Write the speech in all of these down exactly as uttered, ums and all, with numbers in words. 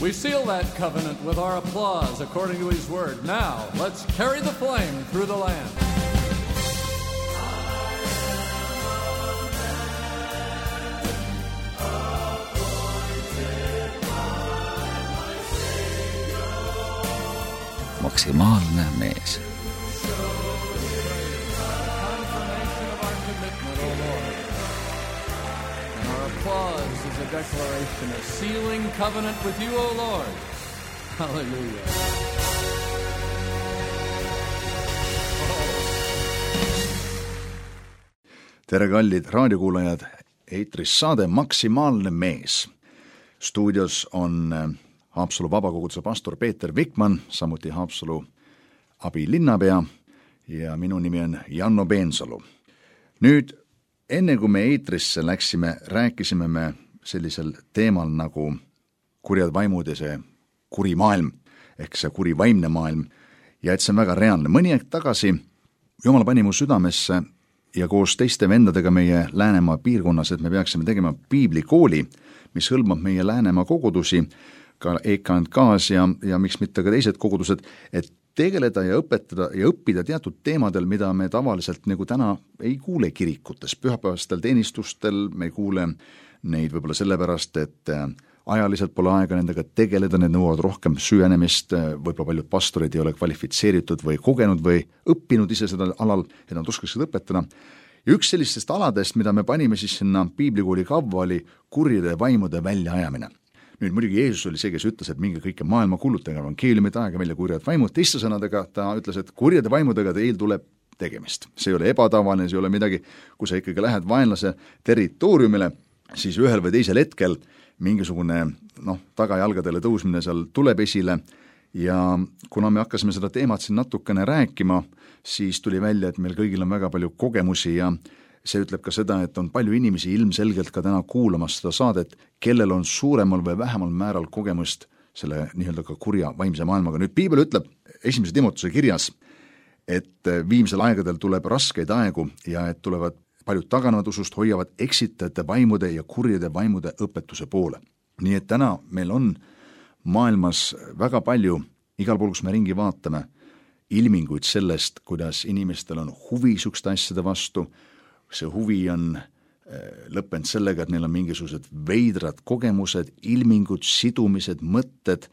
We seal that covenant with our applause according to his word. Now, let's carry the flame through the land. Maksimaalne mees. Applause is a declaration of sealing covenant with you, O Lord. Hallelujah. Tere kallid raadiokuulajad, eetris saade Maksimaalne mees. Stuudios on Haapsalu vabakoguduse pastor Peeter Vikman, samuti Haapsalu abilinnapea ja minu nimi on Janno Peensalu. Nüüd enne kui me eetrisse läksime, rääkisime me sellisel teemal nagu kurjad vaimud ja see kuri maailm, ehk see kuri vaimne maailm, ja et see on väga reaalne. Mõni aeg tagasi Jumal pani mu südamesse ja koos teiste vendadega meie Läänemaa piirkonnas, et me peaksime tegema piiblikooli, mis hõlmab meie Läänemaa kogudusi, ka E K N K-s ja, ja miks mitte ka teised kogudused, et tegeleda ja õpetada ja õppida teatud teemadel, mida me tavaliselt nagu täna ei kuule kirikutes, pühapäevastel teenistustel, me ei kuule neid võib-olla sellepärast, et ajaliselt pole aega nendega tegeleda, need nõuavad rohkem süvenemist, võib-olla paljud pastorid ei ole kvalifitseeritud või kogenud või õppinud ise seda alal, et nad oskaksid õpetada. Ja üks sellistest aladest, mida me panime siis sinna piiblikooli kavva, oli kurjade vaimude väljaajamine. Nüüd muidugi Jeesus oli see, kes ütles, et minge kõike maailma kuulutage, evangeeliumit aega välja kurjad vaimud. Teiste sõnadega ta ütles, et kurjade vaimudega teil tuleb tegemist. See ei ole ebatavaline, see ei ole midagi, kui sa ikkagi lähed vaenlase territooriumile, siis ühel või teisel hetkel mingisugune noh, tagajalgadele tõusmine seal tuleb esile ja kuna me hakkasime seda teemat siin natukene rääkima, siis tuli välja, et meil kõigil on väga palju kogemusi ja see ütleb ka seda, et on palju inimesi ilmselgelt ka täna kuulamas seda saadet, kellel on suuremal või vähemal määral kogemust selle nii-öelda ka kurja vaimse maailmaga. Nüüd piibel ütleb esimese Timotuse kirjas, et viimsel aegadel tuleb raskeid aegu ja et tulevad paljud taganevad usust, hoiavad eksitajate vaimude ja kurjade vaimude õpetuse poole. Nii et täna meil on maailmas väga palju, igal pool, kus me ringi vaatame, ilminguid sellest, kuidas inimestel on huvi sukste asjade vastu. See huvi on lõppenud sellega, et neil on mingisugused veidrad kogemused, ilmingud, sidumised, mõtted,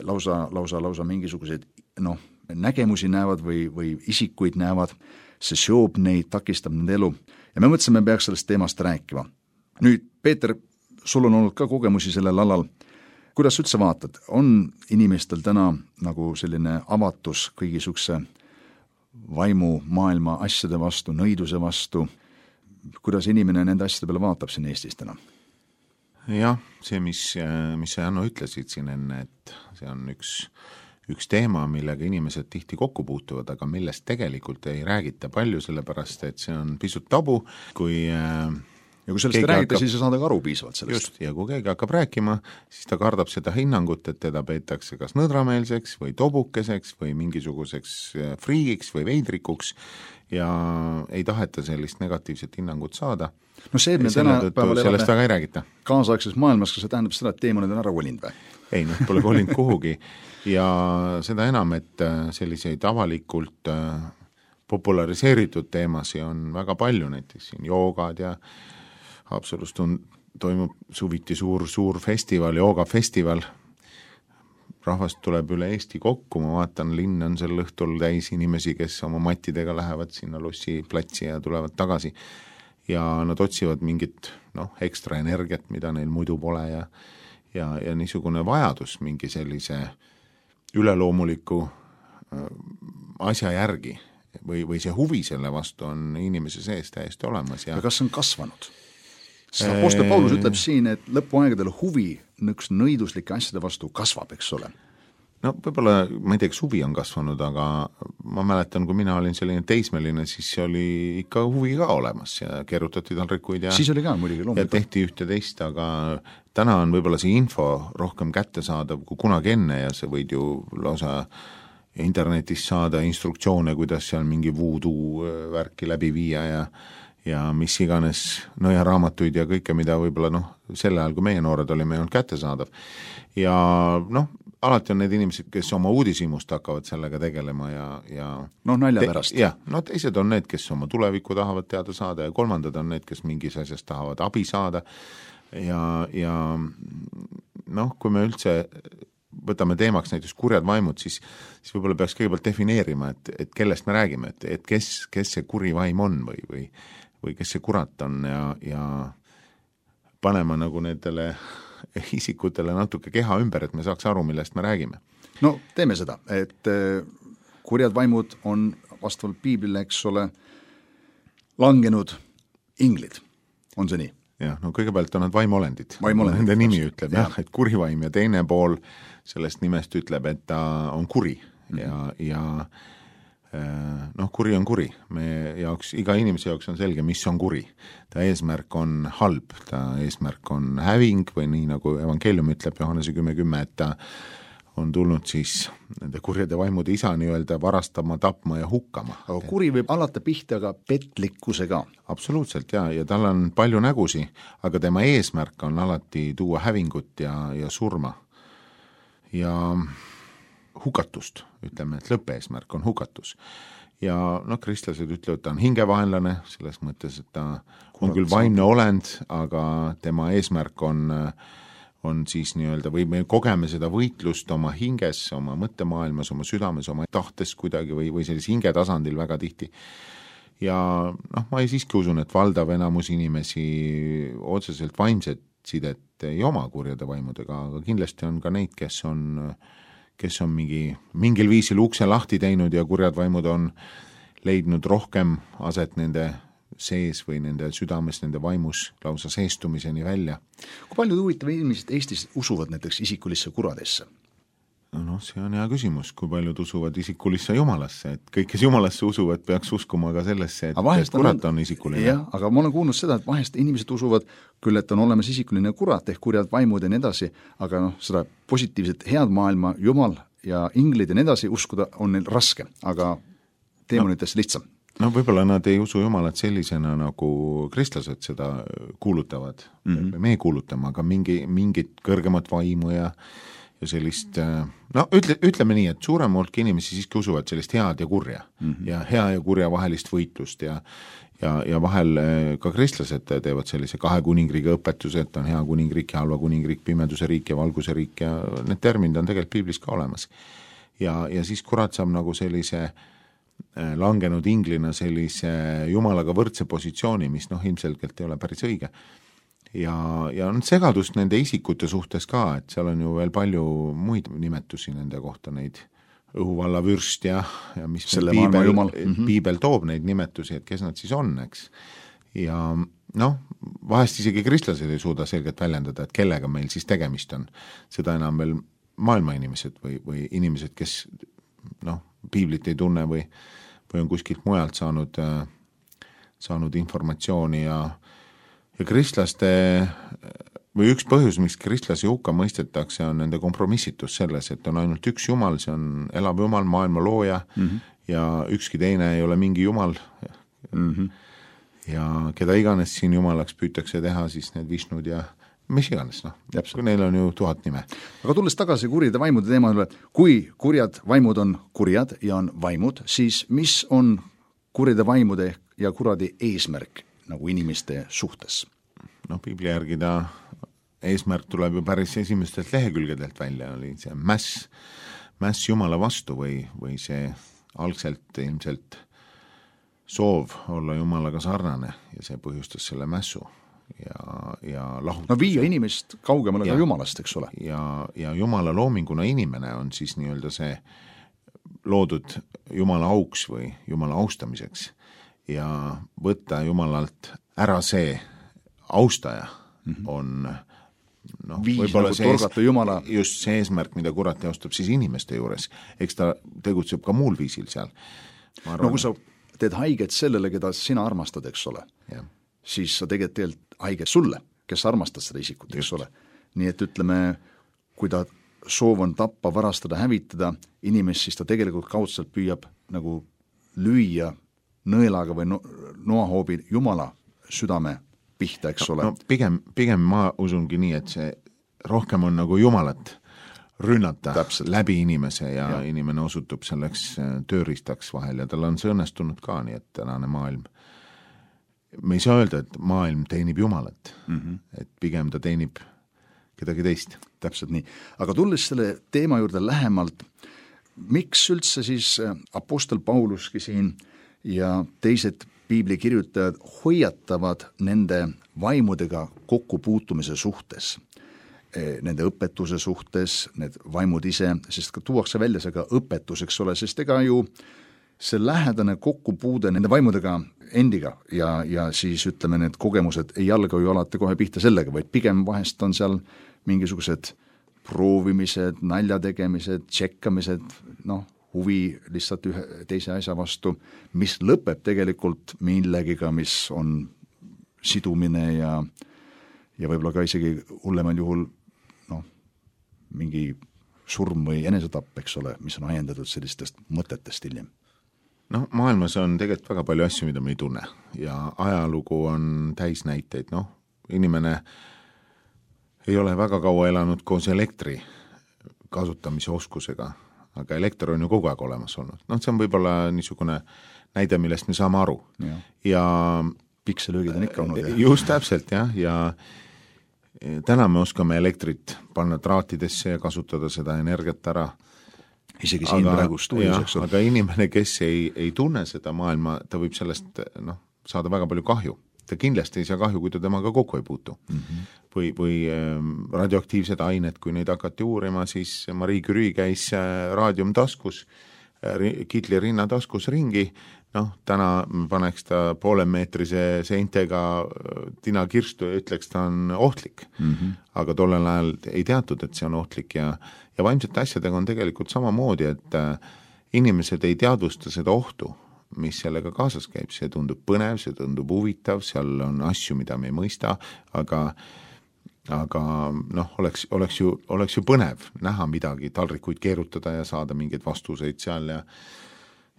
lausa, lausa, lausa mingisugused noh, nägemusi näevad või, või isikuid näevad. See seob neid, takistab nende elu. Ja me mõtlesime, me peaks sellest teemast rääkima. Nüüd, Peeter, sul on olnud ka kogemusi sellel alal. Kuidas üldse vaatad? On inimestel täna nagu selline avatus kõigisuguse vaimu maailma asjade vastu, nõiduse vastu? Kuidas inimene nende asjade peale vaatab siin Eestis täna? Jah, see, mis, mis sa Janno ütlesid siin enne, et see on üks, üks teema, millega inimesed tihti kokku puutuvad, aga millest tegelikult ei räägita palju, sellepärast, et see on pisut tabu, kui ja kui sellest räägite, hakkab, siis saada ka aru piisavalt sellest. Just, ja kui keegi hakkab rääkima, siis ta kardab seda hinnangut, et teda peetakse kas nõdrameelseks või tobukeseks või mingisuguseks friigiks või veidrikuks ja ei taheta sellist negatiivset hinnangut saada. No see, et me täna sellest väga ei räägita. Kaasaegses maailmas, kas see tähendab seda, et teemad on ära kolinud või? Ei, noh, pole kolinud kuhugi ja seda enam, et selliseid avalikult populariseeritud teemasi on väga palju, näiteks siin joogad ja Haapsalus toimub suviti suur, suur festival, joogafestival. Rahvast tuleb üle Eesti kokku, ma vaatan, linn on sel õhtul täis inimesi, kes oma mattidega lähevad sinna lossi platsi ja tulevad tagasi. Ja nad otsivad mingit noh, ekstra energiat, mida neil muidu pole ja, ja, ja niisugune vajadus mingi sellise üleloomuliku asja järgi või, või see huvi selle vastu on inimese sees täiesti olemas. Ja, ja kas on kasvanud? Apostel Paulus ütleb siin, et lõpuaegadel huvi nõks nõiduslike asjade vastu kasvab, eks ole. No võib-olla, ma ei tea, kas huvi on kasvanud, aga ma mäletan, kui mina olin selline teismeline, siis oli ikka huvi ka olemas ja keerutati talrikuid ja, siis oli ka, muidugi, ja tehti ühte teist, aga täna on võib-olla see info rohkem kättesaadav kui kunagi enne ja see võid ju lausa internetis saada instruktsioone, kuidas seal mingi voodoo värki läbi viia ja ja mis iganes nõjaraamatuid ja kõike, mida võib-olla noh, sel ajal, kui meie noored olime, ei olnud kättesaadav. Ja noh, alati on need inimesed, kes oma uudishimust hakkavad sellega tegelema ja, ja noh, nalja pärast. Jah, no teised on need, kes oma tulevikku tahavad teada saada ja kolmandad on need, kes mingis asjast tahavad abi saada ja, ja noh, kui me üldse võtame teemaks näiteks kurjad vaimud, siis, siis võib-olla peaks kõigepealt defineerima, et, et kellest me räägime, et, et kes, kes see kuri vaim on või, või, või kes see kurat on ja, ja panema nagu nendele isikutele natuke keha ümber, et me saaks aru, millest me räägime. No teeme seda, et kurjad vaimud on vastavalt piiblile, eks ole, langenud inglid, on see nii? Jah, no kõigepealt on nad vaimolendid. Vaimolendid. Nende nimi ütleb, jah, et kurivaim ja teine pool sellest nimest ütleb, et ta on kuri mm-hmm. ja, ja noh, kuri on kuri. Me jaoks, iga inimese jaoks on selge, mis on kuri. Ta eesmärk on halb, ta eesmärk on häving või nii nagu evangeelium ütleb Johannese kümme kümme, et ta on tulnud siis nende kurjade vaimude isa nii-öelda varastama, tapma ja hukkama. Aga kuri võib alata pihta ka petlikkusega. Absoluutselt, ja, ja tal on palju nägusi, aga tema eesmärk on alati tuua hävingut ja, ja surma. Ja hukatust, ütleme, et lõppeesmärk on hukatus. Ja noh, kristlased ütlevad, ta on hingevaenlane, selles mõttes, et ta on küll vaimne olend, aga tema eesmärk on on siis nii-öelda, või me kogeme seda võitlust oma hinges, oma mõttemaailmas, oma südames, oma tahtes kuidagi või, või sellise hinge tasandil väga tihti. Ja noh, ma ei siiski usun, et valdav enamus inimesi otseselt vaimset sidet ei oma kurjade vaimudega, aga kindlasti on ka neid, kes on, kes on mingi, mingil viisil ukse lahti teinud ja kurjad vaimud on leidnud rohkem aset nende sees või nende südames, nende vaimus lausa seestumiseni välja. Kui palju huvitav inimesed Eestis usuvad näiteks isikulisse kuradesse? No, no see on hea küsimus, kui paljud usuvad isikulisse jumalasse, et kõik, kes jumalasse usuvad, peaks uskuma ka sellesse, et, et kurat on isikuline. Jah, aga ma olen kuulnud seda, et vahest inimesed usuvad küll, et on olemas isikuline kurat ehk kurjad vaimud ja nii edasi, aga noh, seda positiivset head maailma, jumal ja inglid ja nii edasi uskuda on neil raske, aga teemonitest no. lihtsam. No võib-olla nad ei usu jumalat sellisena, nagu kristlased seda kuulutavad mm-hmm. või me kuulutame, aga mingi, mingit kõrgemat vaimu ja, ja sellist, no ütle, ütleme nii, et suurem hulk inimesi siiski usuvad sellist head ja kurja mm-hmm. ja hea ja kurja vahelist võitlust ja, ja, ja vahel ka kristlased teevad sellise kahe kuningriigi õpetuse, et on hea kuningriik ja halva kuningriik, pimeduse riik ja valguse riik ja need terminid on tegelikult piiblis ka olemas. Ja, ja siis kurat saab nagu sellise langenud inglina sellise jumalaga võrdse positsiooni, mis noh, ilmselgelt ei ole päris õige. Ja, ja on segadust nende isikute suhtes ka, et seal on ju veel palju muid nimetusi nende kohta, neid õhuvalla vürst ja, ja mis piibel, mm-hmm. piibel toob neid nimetusi, et kes nad siis on, eks. Ja noh, vahest isegi kristlased ei suuda selgelt väljendada, et kellega meil siis tegemist on. Seda enam veel maailma inimesed või, või inimesed, kes noh, piiblit ei tunne või, või on kuskilt mujalt saanud, saanud informatsiooni ja, ja kristlaste või üks põhjus, miks kristlasi hukka mõistetakse, on nende kompromissitus selles, et on ainult üks jumal, see on elav jumal, maailma looja mm-hmm. ja ükski teine ei ole mingi jumal mm-hmm. ja keda iganes siin jumalaks püütakse teha, siis need Vishnud ja mis iganes, noh, kui neil on ju tuhat nime. Aga tulles tagasi kurjade vaimude teemale, kui kurjad vaimud on kurjad ja on vaimud, siis mis on kurjade vaimude ja kuradi eesmärk nagu inimeste suhtes? No piibli järgi ta eesmärk tuleb ju päris esimestelt lehekülgedelt välja, oli see mäss, mäss Jumala vastu või, või see algselt ilmselt soov olla Jumalaga sarnane ja see põhjustas selle mässu. Ja, ja lahutuse. No viia inimest kaugemale ka Jumalast, eks ole. Ja, ja Jumala loominguna inimene on siis nii-öelda see loodud Jumala auks või Jumala austamiseks ja võtta Jumalalt ära see austaja mm-hmm. on noh, võib-olla see ees, Jumala... just see eesmärk, mida kurat teostab siis inimeste juures, eks ta tegutseb ka muul viisil seal. Arvan, no kui sa teed haiget sellele, keda sina armastad, eks ole, jah. Siis sa tegelikult teed haiget sulle, kes armastad seda isikut, eks ole. Nii et ütleme, kui ta soov on tappa, varastada, hävitada inimest, siis ta tegelikult kaudselt püüab nagu lüüa nõelaga või no, noahoobi Jumala südame pihta, eks no, ole. No, pigem, pigem ma usungi nii, et see rohkem on nagu Jumalat rünnata Täpselt. läbi inimese ja, ja inimene osutub selleks tööriistaks vahel ja tal on see õnnestunud ka, nii et tänane maailm. Me ei saa öelda, et maailm teenib Jumalat, mm-hmm. et pigem ta teenib kedagi teist. Täpselt nii. Aga tulles selle teema juurde lähemalt, miks üldse siis apostel Pauluski siin ja teised piibli kirjutajad hoiatavad nende vaimudega kokkupuutumise suhtes? Nende õpetuse suhtes, need vaimud ise, sest ka tuuakse välja see ka õpetus, eks ole, sest ega ju see lähedane kokkupuude nende vaimudega endiga ja, ja siis ütleme, need kogemused ei alga ju alati kohe pihta sellega, vaid pigem vahest on seal mingisugused proovimised, naljategemised, tšekkamised, noh, huvi lihtsalt ühe teise asja vastu, mis lõpeb tegelikult millegiga, mis on sidumine ja, ja võib-olla ka isegi hullemal juhul mingi surm või enesetapp, eks ole, mis on ajendatud sellistest mõtetest hiljem. No maailmas on tegelikult väga palju asju, mida me ei tunne ja ajalugu on täis näiteid, noh, inimene ei ole väga kaua elanud koos elektri kasutamise oskusega, aga elekter on ju kogu aeg olemas olnud. Noh, see on võib-olla niisugune näide, millest me saame aru. Ja, ja pikselöögid on ikka olnud. Just täpselt, jah, ja täna me oskame elektrit panna traatidesse ja kasutada seda energiat ära. Isegi siin aga, praegu stuudios, eks ole. Aga inimene, kes ei, ei tunne seda maailma, ta võib sellest noh, saada väga palju kahju. Ta kindlasti ei saa kahju, kui ta temaga kokku ei puutu. Mm-hmm. Või, või radioaktiivsed ained, kui neid hakati uurima, siis Marie Curie käis raadium taskus, Kitli rinna taskus ringi, noh, täna paneks ta poolemeetrise seintega tina kirstu ja ütleks, ta on ohtlik. Mm-hmm. Aga tollel ajal ei teatud, et see on ohtlik ja, ja vaimsete asjadega on tegelikult samamoodi, et inimesed ei teadvusta seda ohtu, mis sellega kaasas käib. See tundub põnev, see tundub huvitav, seal on asju, mida me ei mõista, aga aga noh, oleks, oleks, ju, oleks ju põnev näha midagi, talrikuid keerutada ja saada mingeid vastuseid seal ja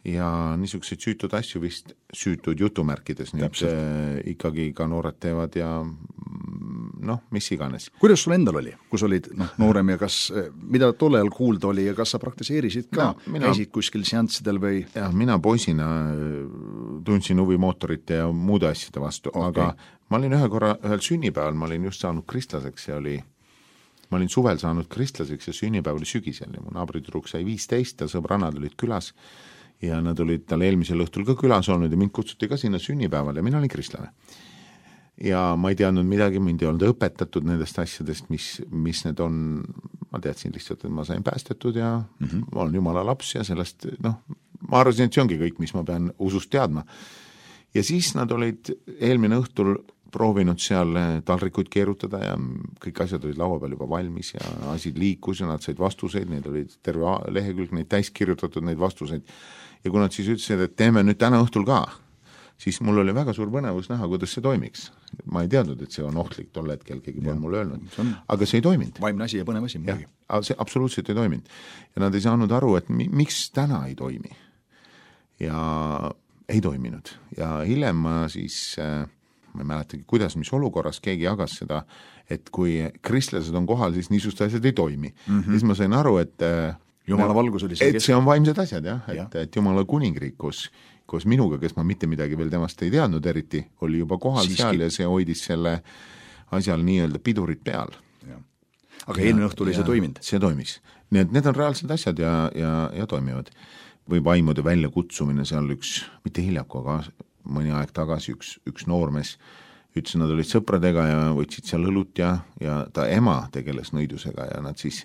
ja niisuguseid süütud asju vist süütud jutumärkides nüüd äh, ikkagi ka noored teevad ja noh, mis iganes. Kuidas sul endal oli, kus olid noh, noorem ja kas, mida tolle ajal kuulda oli ja kas sa praktiseerisid ka, no, mina, käisid kuskil seanssidel või? Jah, mina poisina tundsin huvi mootorite ja muude asjade vastu, okay. Aga ma olin ühe korra, ühel sünnipäeval, ma olin just saanud kristlaseks ja oli, ma olin suvel saanud kristlaseks ja sünnipäev oli sügisel ja mu naabritüdruk sai viisteist ja sõbrannad olid külas ja nad olid tal eelmisel õhtul ka külas olnud ja mind kutsuti ka sinna sünnipäeval ja mina olin kristlane. Ja ma ei teadnud midagi, mind ei olnud õpetatud nendest asjadest, mis, mis need on, ma teadsin lihtsalt, et ma sain päästetud ja mm-hmm. ma olen Jumala laps ja sellest, noh, ma arvasin, et see ongi kõik, mis ma pean usust teadma. Ja siis nad olid eelmine õhtul proovinud seal talrikuid keerutada ja kõik asjad olid laua peal juba valmis ja asi liikus ja nad said vastuseid, neid olid terve lehekülg, neid täis kirjutatud, neid vastuseid. Ja kui nad siis ütlesid, et teeme nüüd täna õhtul ka, siis mul oli väga suur põnevus näha, kuidas see toimiks. Ma ei teadnud, et see on ohtlik tol hetkel, keegi pole mulle öelnud, on... aga see ei toiminud. Vaimne asi ja põnev asi. Ja, see absoluutselt ei toiminud. Ja nad ei saanud aru, et mi- miks täna ei toimi. Ja ei toiminud. Ja hiljem ma siis, ma ei mäletagi, kuidas, mis olukorras keegi jagas seda, et kui kristlased on kohal, siis niisugused asjad ei toimi. Mm-hmm. Ja siis ma sain aru, et Jumala valgus oli see, et see on vaimsed asjad, jah, et, ja. et Jumala kuningriik, kus, kus minuga, kes ma mitte midagi veel temast ei teadnud eriti, oli juba kohal Siiski. Seal ja see hoidis selle asjal nii-öelda pidurit peal. Ja. Aga eelmine õhtul oli see toiminud? See toimis. Nii et need on reaalsed asjad ja, ja, ja toimivad. Või vaimude välja kutsumine, seal üks, mitte hiljaku, aga mõni aeg tagasi üks, üks noormees ütles, nad olid sõpradega ja võtsid seal õlut ja, ja ta ema tegeles nõidusega ja nad siis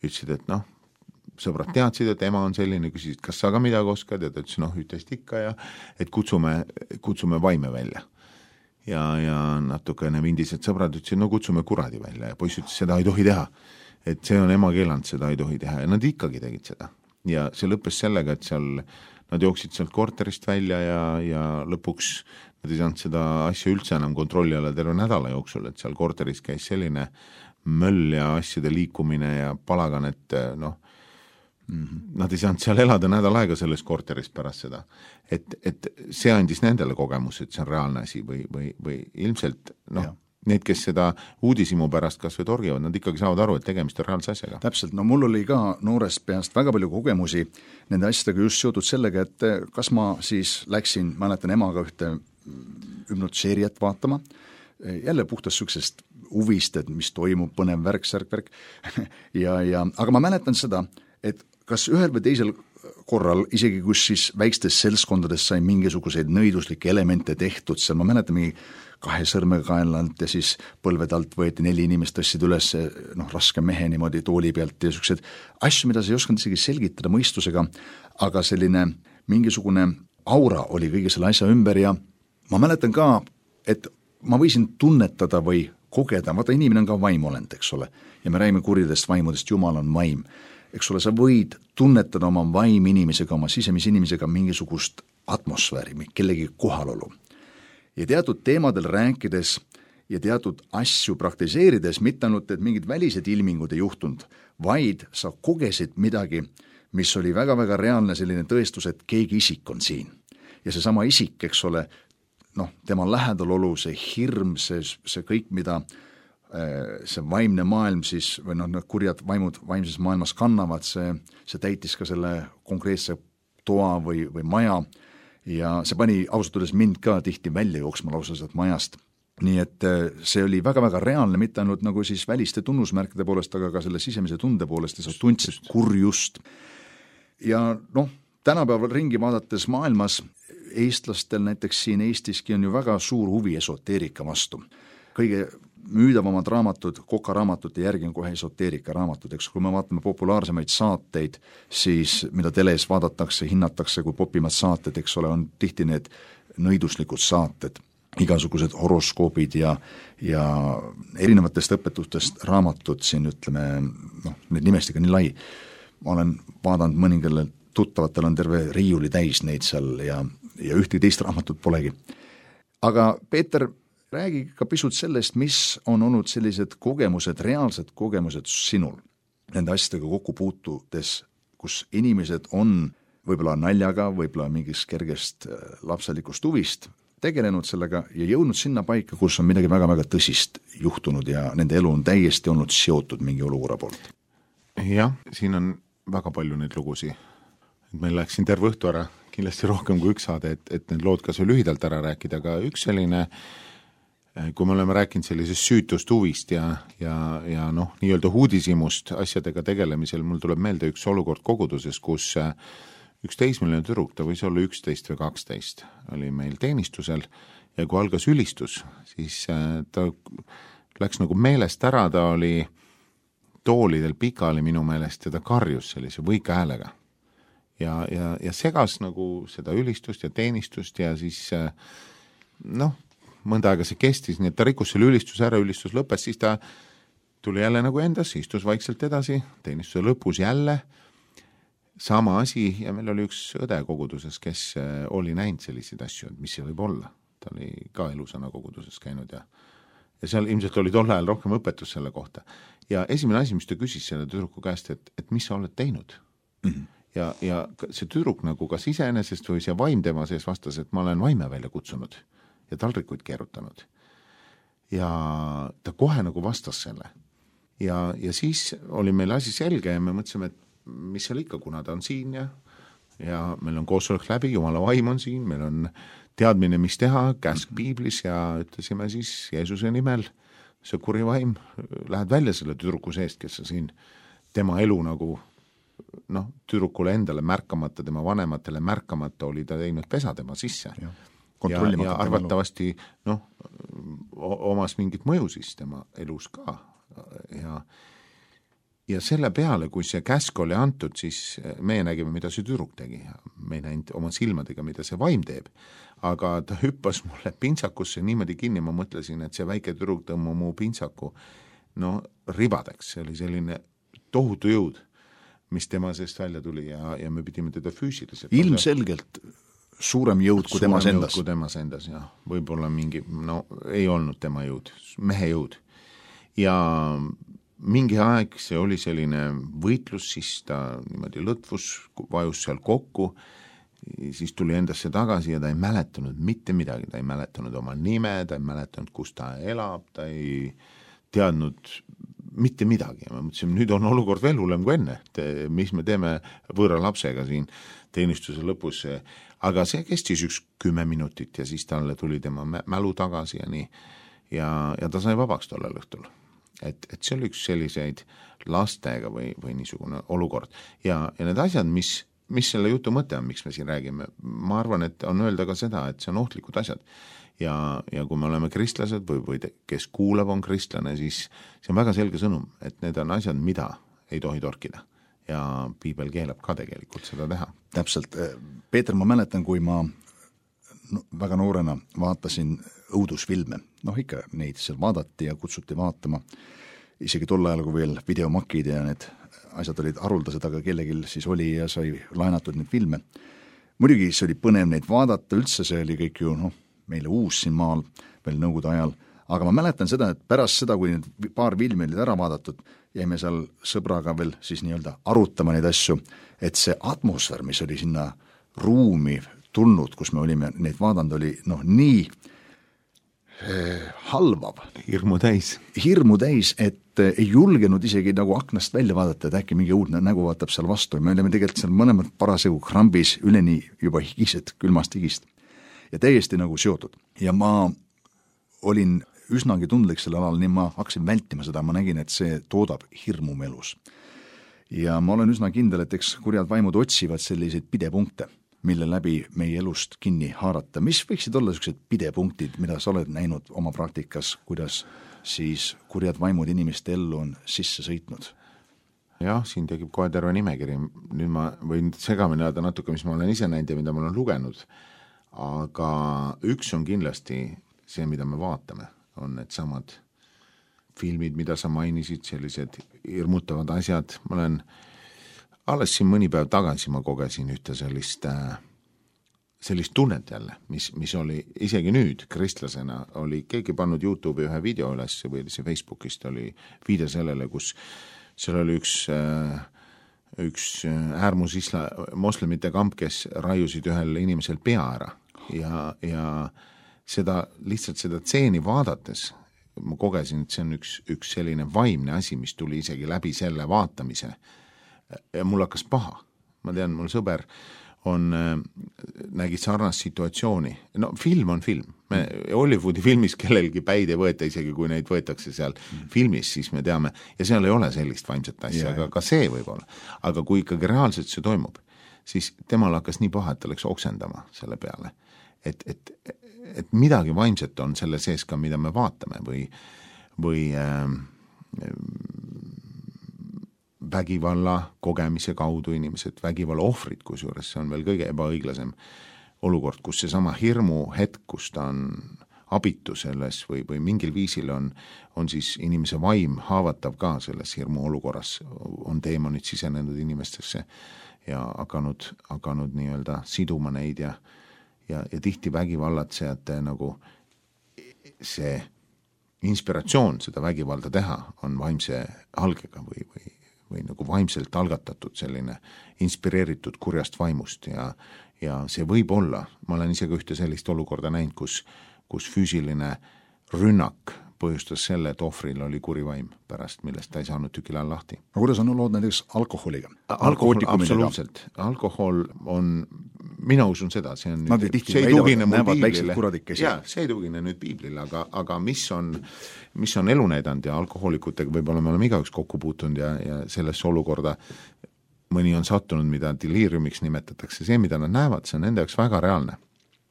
ütlesid, et noh, sõbrad teadsid, et ema on selline, küsisid, kas sa ka midagi oskad ja ta ütles, noh, ühtest ikka ja et kutsume, kutsume vaime välja. Ja, ja natukene vindised sõbrad ütlesid, no kutsume kuradi välja ja poiss ütles, seda ei tohi teha. Et see on ema keelanud, seda ei tohi teha ja nad ikkagi tegid seda. Ja see lõppes sellega, et seal nad jooksid sealt korterist välja ja, ja lõpuks nad ei saanud seda asja üldse enam kontrolli alla terve nädala jooksul, et seal korteris käis selline möll ja asjade liikumine ja palagan, et noh, mm-hmm. nad ei saanud seal elada nädal aega selles korteris pärast seda. Et, et see andis nendele kogemus, et see on reaalne asi või, või, või ilmselt noh, need, kes seda uudisimu pärast kas või torgivad, nad ikkagi saavad aru, et tegemist on reaalse asjaga. Täpselt, no mul oli ka noorest peast väga palju kogemusi nende asjadega just seotud sellega, et kas ma siis läksin, mäletan emaga ühte hüpnoseeriat vaatama, jälle puhtast süksest huvist, et mis toimub, põnev värk, särk, värk ja, ja, aga ma mäletan seda, et kas ühel või teisel korral, isegi kus siis väikstes seltskondades sai mingisuguseid nõiduslikke elemente tehtud, seal ma mäletan mingi kahe sõrmega kaenlalt ja siis põlved alt võeti neli inimest tõstsid üles noh, raske mehe niimoodi tooli pealt ja sellised asju, mida sa ei osanud isegi selgitada mõistusega, aga selline mingisugune aura oli kõige selle asja ümber ja ma mäletan ka, et ma võisin tunnetada või kogeda, vaata inimene on ka vaimolend, eks ole, ja me räägime kuridest vaimudest, Jumal on vaim, eks ole, sa võid tunnetada oma vaim inimesega, oma sisemise inimesega mingisugust atmosfääri, kellegi kohalolu. Ja teatud teemadel rääkides ja teatud asju praktiseerides, mitte ainult, et mingid välised ilmingud ei juhtunud, vaid sa kogesid midagi, mis oli väga-väga reaalne selline tõestus, et keegi isik on siin. Ja see sama isik, eks ole, noh, tema lähedalolu, see hirm, see, see kõik, mida see vaimne maailm siis, või noh, need kurjad vaimud vaimses maailmas kannavad, see, see täitis ka selle konkreetse toa või, või maja, ja see pani ausalt öeldes mind ka tihti välja jooksma lausa sealt majast. Nii et see oli väga-väga reaalne, mitte ainult nagu siis väliste tunnusmärkide poolest, aga ka selle sisemise tunde poolest ja sa tundsid kurjust. Ja noh, tänapäeval ringi vaadates maailmas, eestlastel näiteks siin Eestiski on ju väga suur huvi esoteerika vastu. Kõige müüdavamad raamatud, Koka raamatute järgi on kohe esoteerika raamatud, eks kui me vaatame populaarsemaid saateid, siis mida teles vaadatakse, hinnatakse kui popimad saated, eks ole, on tihti need nõiduslikud saated, igasugused horoskoobid ja, ja erinevatest õpetustest raamatud siin, ütleme, noh, need nimestiga nii lai. Ma olen vaadanud mõningale tuttavatel on terve riiuli täis neid seal ja, ja ühtegi teist raamatut polegi. Aga Peeter, räägi ka pisut sellest, mis on olnud sellised kogemused, reaalsed kogemused sinul nende asjadega kokku puutudes, kus inimesed on võib-olla naljaga, võib-olla mingist kergest lapselikust huvist tegelenud sellega ja jõudnud sinna paika, kus on midagi väga-väga tõsist juhtunud ja nende elu on täiesti olnud seotud mingi olukorra poolt. Jah, siin on väga palju neid lugusi. Meil läks siin terve õhtu ära, kindlasti rohkem kui üks saade, et, et need lood kas või lühidalt ära rääkida, aga üks selline kui me oleme rääkinud sellisest süütust huvist ja, ja, ja noh, nii-öelda uudishimust asjadega tegelemisel, mul tuleb meelde üks olukord koguduses, kus üks teismeline tüdruk, ta võis olla üksteist või kaksteist, oli meil teenistusel ja kui algas ülistus, siis ta läks nagu meelest ära, ta oli toolidel pikali minu meelest ja ta karjus sellise võika häälega. Ja, ja, ja segas nagu seda ülistust ja teenistust ja siis noh, mõnda aega see kestis, nii et ta rikkus selle ülistuse ära, ülistus lõppes, siis ta tuli jälle nagu endas, istus vaikselt edasi, teenistuse lõpus jälle, sama asi ja meil oli üks õde koguduses, kes oli näinud selliseid asju, mis see võib olla. Ta oli ka elusana koguduses käinud ja, ja seal ilmselt oli tol ajal rohkem õpetus selle kohta. Ja esimene asi, mis ta küsis selle tüdruku käest, et, et mis sa oled teinud? Mm-hmm. Ja, ja see tüdruk nagu kas iseenesest või see vaim tema sees vastas, et ma olen vaime välja kutsunud ja talrikuid keerutanud. Ja ta kohe nagu vastas selle. Ja, ja siis oli meil asi selge ja me mõtlesime, et mis seal ikka, kuna ta on siin ja, ja meil on koosolek läbi, Jumala vaim on siin, meil on teadmine, mis teha, käsk piiblis ja ütlesime siis Jeesuse nimel, see kuri vaim, lähed välja selle tüdruku seest, kes on siin tema elu nagu noh, tüdrukule endale märkamata, tema vanematele märkamata oli ta teinud pesa tema sisse. Ja. Ja, ja arvatavasti noh, omas mingit mõju siis tema elus ka ja, ja selle peale, kui see käsk oli antud, siis meie nägime, mida see tüdruk tegi ja me ei näinud oma silmadega, mida see vaim teeb, aga ta hüppas mulle pintsakusse niimoodi kinni, ma mõtlesin, et see väike tüdruk tõmmu mu pintsaku no ribadeks, see oli selline tohutu jõud, mis tema seest välja tuli ja, ja me pidime teda füüsiliselt ilmselgelt suurem jõud kui temas endas. kui temas endas, jah. Võib-olla mingi, no ei olnud tema jõud, mehe jõud. Ja mingi aeg see oli selline võitlus, siis ta niimoodi lõtvus, vajus seal kokku, siis tuli endasse tagasi ja ta ei mäletanud mitte midagi, ta ei mäletanud oma nime, ta ei mäletanud, kus ta elab, ta ei teadnud mitte midagi. Ma mõtlesin, nüüd on olukord veel hullem kui enne, et mis me teeme võõra lapsega siin teenistuse lõpus, aga see kestis üks kümme minutit ja siis talle tuli tema mälu tagasi ja nii, ja, ja ta sai vabaks tollel õhtul. Et, et see oli üks selliseid lastega või, või niisugune olukord. Ja, ja need asjad, mis, mis selle jutu mõte on, miks me siin räägime, ma arvan, et on öelda ka seda, et see on ohtlikud asjad. Ja, ja kui me oleme kristlased või, või te, kes kuulab on kristlane, siis see on väga selge sõnum, et need on asjad, mida ei tohi torkida. Ja piibel keelab ka tegelikult seda teha. Täpselt. Peeter, ma mäletan, kui ma väga noorena vaatasin õudusfilme, noh ikka neid seal vaadati ja kutsuti vaatama, isegi tol ajal, kui veel videomakid ja need asjad olid haruldased, aga kellegil siis oli ja sai laenatud neid filme. Muidugi see oli põnev neid vaadata, üldse see oli kõik ju noh, meile uus siin maal veel nõukogude ajal, aga ma mäletan seda, et pärast seda, kui need paar filmi olid ära vaadatud, jäime seal sõbraga veel siis nii-öelda arutama neid asju, et see atmosfäär, mis oli sinna ruumi tulnud, kus me olime neid vaadanud, oli noh nii eh, halvav. Hirmu täis. Hirmu täis, et eh, ei julgenud isegi nagu aknast välja vaadata, et äkki mingi uudne nägu vaatab seal vastu. Me olime tegelikult seal mõlemad parasjagu krambis, üleni juba higised, külmast higist. Ja täiesti nagu seotud. Ja ma olin üsnagi tundlik selle alal, nii ma hakkasin vältima seda, ma nägin, et see toodab hirmu melus. Ja ma olen üsna kindel, et eks kurjad vaimud otsivad selliseid pidepunkte, mille läbi meie elust kinni haarata. Mis võiksid olla sellised pidepunktid, mida sa oled näinud oma praktikas, kuidas siis kurjad vaimud inimeste ellu on sisse sõitnud? Jah, siin tekib kohe terve nimekiri. Nüüd ma võin segamini ajada natuke, mis ma olen ise näinud ja mida ma olen lugenud. Aga üks on kindlasti see, mida me vaatame, on need samad filmid, mida sa mainisid, sellised hirmutavad asjad. Ma olen alles siin mõni päev tagasi ma kogesin ühte sellist, sellist tunnet jälle, mis, mis oli isegi nüüd kristlasena, oli keegi pannud YouTube'i ühe video üles või see Facebookist oli viide sellele, kus seal oli üks, üks äärmus isla, moslemite kamp, kes raiusid ühel inimesel pea ära ja, ja seda, lihtsalt seda tseeni vaadates ma kogesin, et see on üks, üks selline vaimne asi, mis tuli isegi läbi selle vaatamise ja mul hakkas paha. Ma tean, mul sõber on, nägi sarnast situatsiooni. No film on film. Me Hollywoodi filmis kellelgi päid ei võeta, isegi kui neid võetakse seal mm. filmis, siis me teame, ja seal ei ole sellist vaimset asja, yeah. aga ka see võib olla. Aga kui ikkagi reaalselt see toimub, siis temal hakkas nii paha, et ta läks oksendama selle peale. Et, et, et midagi vaimset on selle sees ka, mida me vaatame või, või äh, vägivalla kogemise kaudu inimesed, vägivalla ohvrid, kusjuures see on veel kõige ebaõiglasem olukord, kus see sama hirmu hetk, kus ta on abitu selles või, või mingil viisil on, on siis inimese vaim haavatav ka selles hirmu olukorras, on teemonid sisenenud inimestesse ja hakanud, hakanud nii-öelda siduma neid ja, ja, ja tihti vägivallatsejate nagu see inspiratsioon seda vägivalda teha on vaimse algega või, või või nagu vaimselt algatatud selline inspireeritud kurjast vaimust ja, ja see võib olla, ma olen isegi ühte sellist olukorda näinud, kus, kus füüsiline rünnak põhjustas selle, et ohvril oli kuri vaim pärast, millest ta ei saanud tükilal lahti. No kuidas on lood näiteks alkoholiga? Alkohol, absoluutselt. Alkohol on, mina usun seda, see on Nad nüüd, see ei tugine mul piiblile. Jaa, see ei tugine nüüd piiblile, aga, aga mis on, mis on elu näidanud ja alkohoolikutega võib-olla me oleme igaüks kokku puutunud ja, ja sellesse olukorda mõni on sattunud, mida deliriumiks nimetatakse, see, mida nad näevad, see on nende jaoks väga reaalne.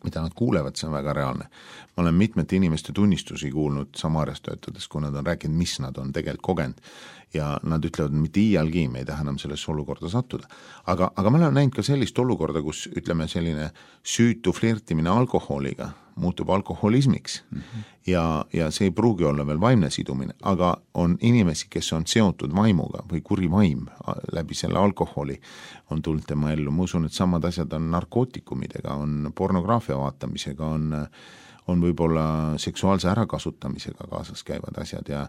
Mida nad kuulevad, see on väga reaalne. Ma olen mitmete inimeste tunnistusi kuulnud Samarias töötades, kui nad on rääkinud, mis nad on tegelikult kogenud ja nad ütlevad, mitte iialgi me ei taha enam sellesse olukorda sattuda. Aga, aga ma olen näinud ka sellist olukorda, kus ütleme selline süütu flirtimine alkoholiga muutub alkoholismiks mm-hmm. ja, ja see ei pruugi olla veel vaimne sidumine, aga on inimesi, kes on seotud vaimuga või kuri vaim läbi selle alkoholi on tulnud tema ellu. Ma usun, et samad asjad on narkootikumidega, on pornograafia vaatamisega, on, on võib-olla seksuaalse ärakasutamisega kaasas käivad asjad ja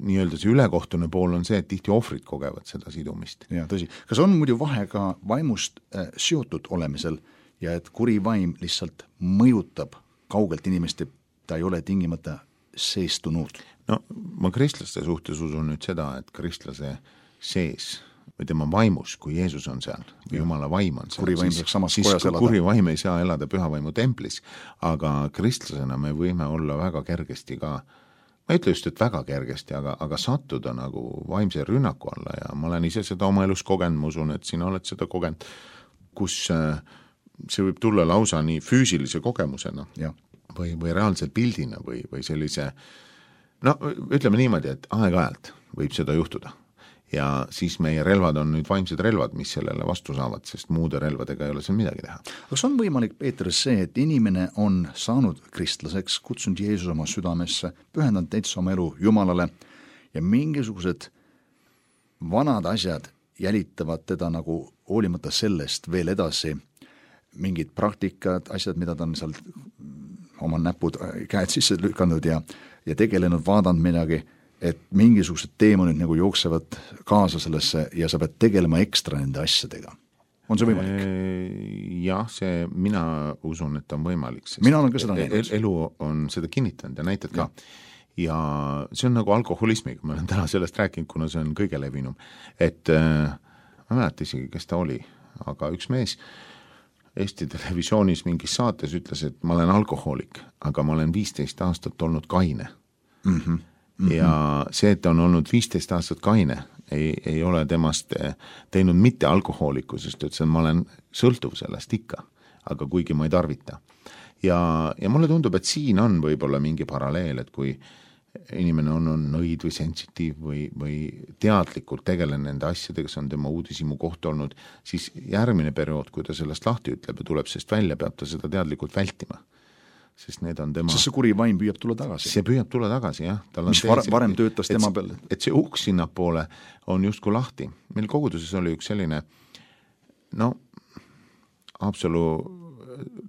nii-öelda see ülekohtune pool on see, et tihti ohvrid kogevad seda sidumist. Ja, tõsi. Kas on muidu vahe ka vaimust äh, seotud olemisel ja et kuri vaim lihtsalt mõjutab kaugelt inimest, ta ei ole tingimata seestunud? No ma kristlaste suhtes usun nüüd seda, et kristlase sees või tema vaimus, kui Jeesus on seal, või Jumala vaim on seal, kuri vaim siis, samas siis kojas elada. Kuri vaim ei saa elada pühavaimu templis, aga kristlasena me võime olla väga kergesti ka, ma ei ütle just, et väga kergesti, aga, aga sattuda nagu vaimse rünnaku alla ja ma olen ise seda oma elus kogenud, ma usun, et sina oled seda kogenud, kus see võib tulla lausa nii füüsilise kogemusena ja. või, või reaalse pildina või, või sellise, no ütleme niimoodi, et aeg-ajalt võib seda juhtuda. Ja siis meie relvad on nüüd vaimsed relvad, mis sellele vastu saavad, sest muude relvadega ei ole seal midagi teha. Kas on võimalik, Peeter, see, et inimene on saanud kristlaseks, kutsunud Jeesus oma südamesse, pühendanud täitsa oma elu Jumalale ja mingisugused vanad asjad jälitavad teda nagu hoolimata sellest veel edasi, mingid praktikad, asjad, mida ta on seal oma näpud, käed sisse lükanud ja, ja tegelenud, vaadanud midagi, et mingisugused teemonid nagu jooksevad kaasa sellesse ja sa pead tegelema ekstra nende asjadega. On see võimalik? Jah, see, mina usun, et on võimalik. Mina olen ka seda näinud. Elu on seda kinnitanud ja näitad ka. Ja see on nagu alkoholismiga, ma olen täna sellest rääkinud, kuna see on kõige levinum. Et ma mäleta isegi, kes ta oli, aga üks mees Eesti televisioonis mingis saates ütles, et ma olen alkohoolik, aga ma olen viisteist aastat olnud kaine. Mhm. Mm-hmm. Ja see, et on olnud viisteist aastat kaine, ei, ei ole temast teinud mitte alkohooliku, sest ütles, et ma olen sõltuv sellest ikka, aga kuigi ma ei tarvita. Ja, ja mulle tundub, et siin on võib-olla mingi paralleel, et kui inimene on, on nõid või sensitiiv või, või teadlikult tegelen nende asjadega, see on tema uudishimu koht olnud, siis järgmine periood, kui ta sellest lahti ütleb ja tuleb sest välja, peab ta seda teadlikult vältima. Sest need on tema... Sest see kuri vaim püüab tulla tagasi. See püüab tulla tagasi, jah. Tal on mis var, varem töötas et, tema peal. Et see uks sinnapoole on justkui lahti. Meil koguduses oli üks selline, no, Haapsalu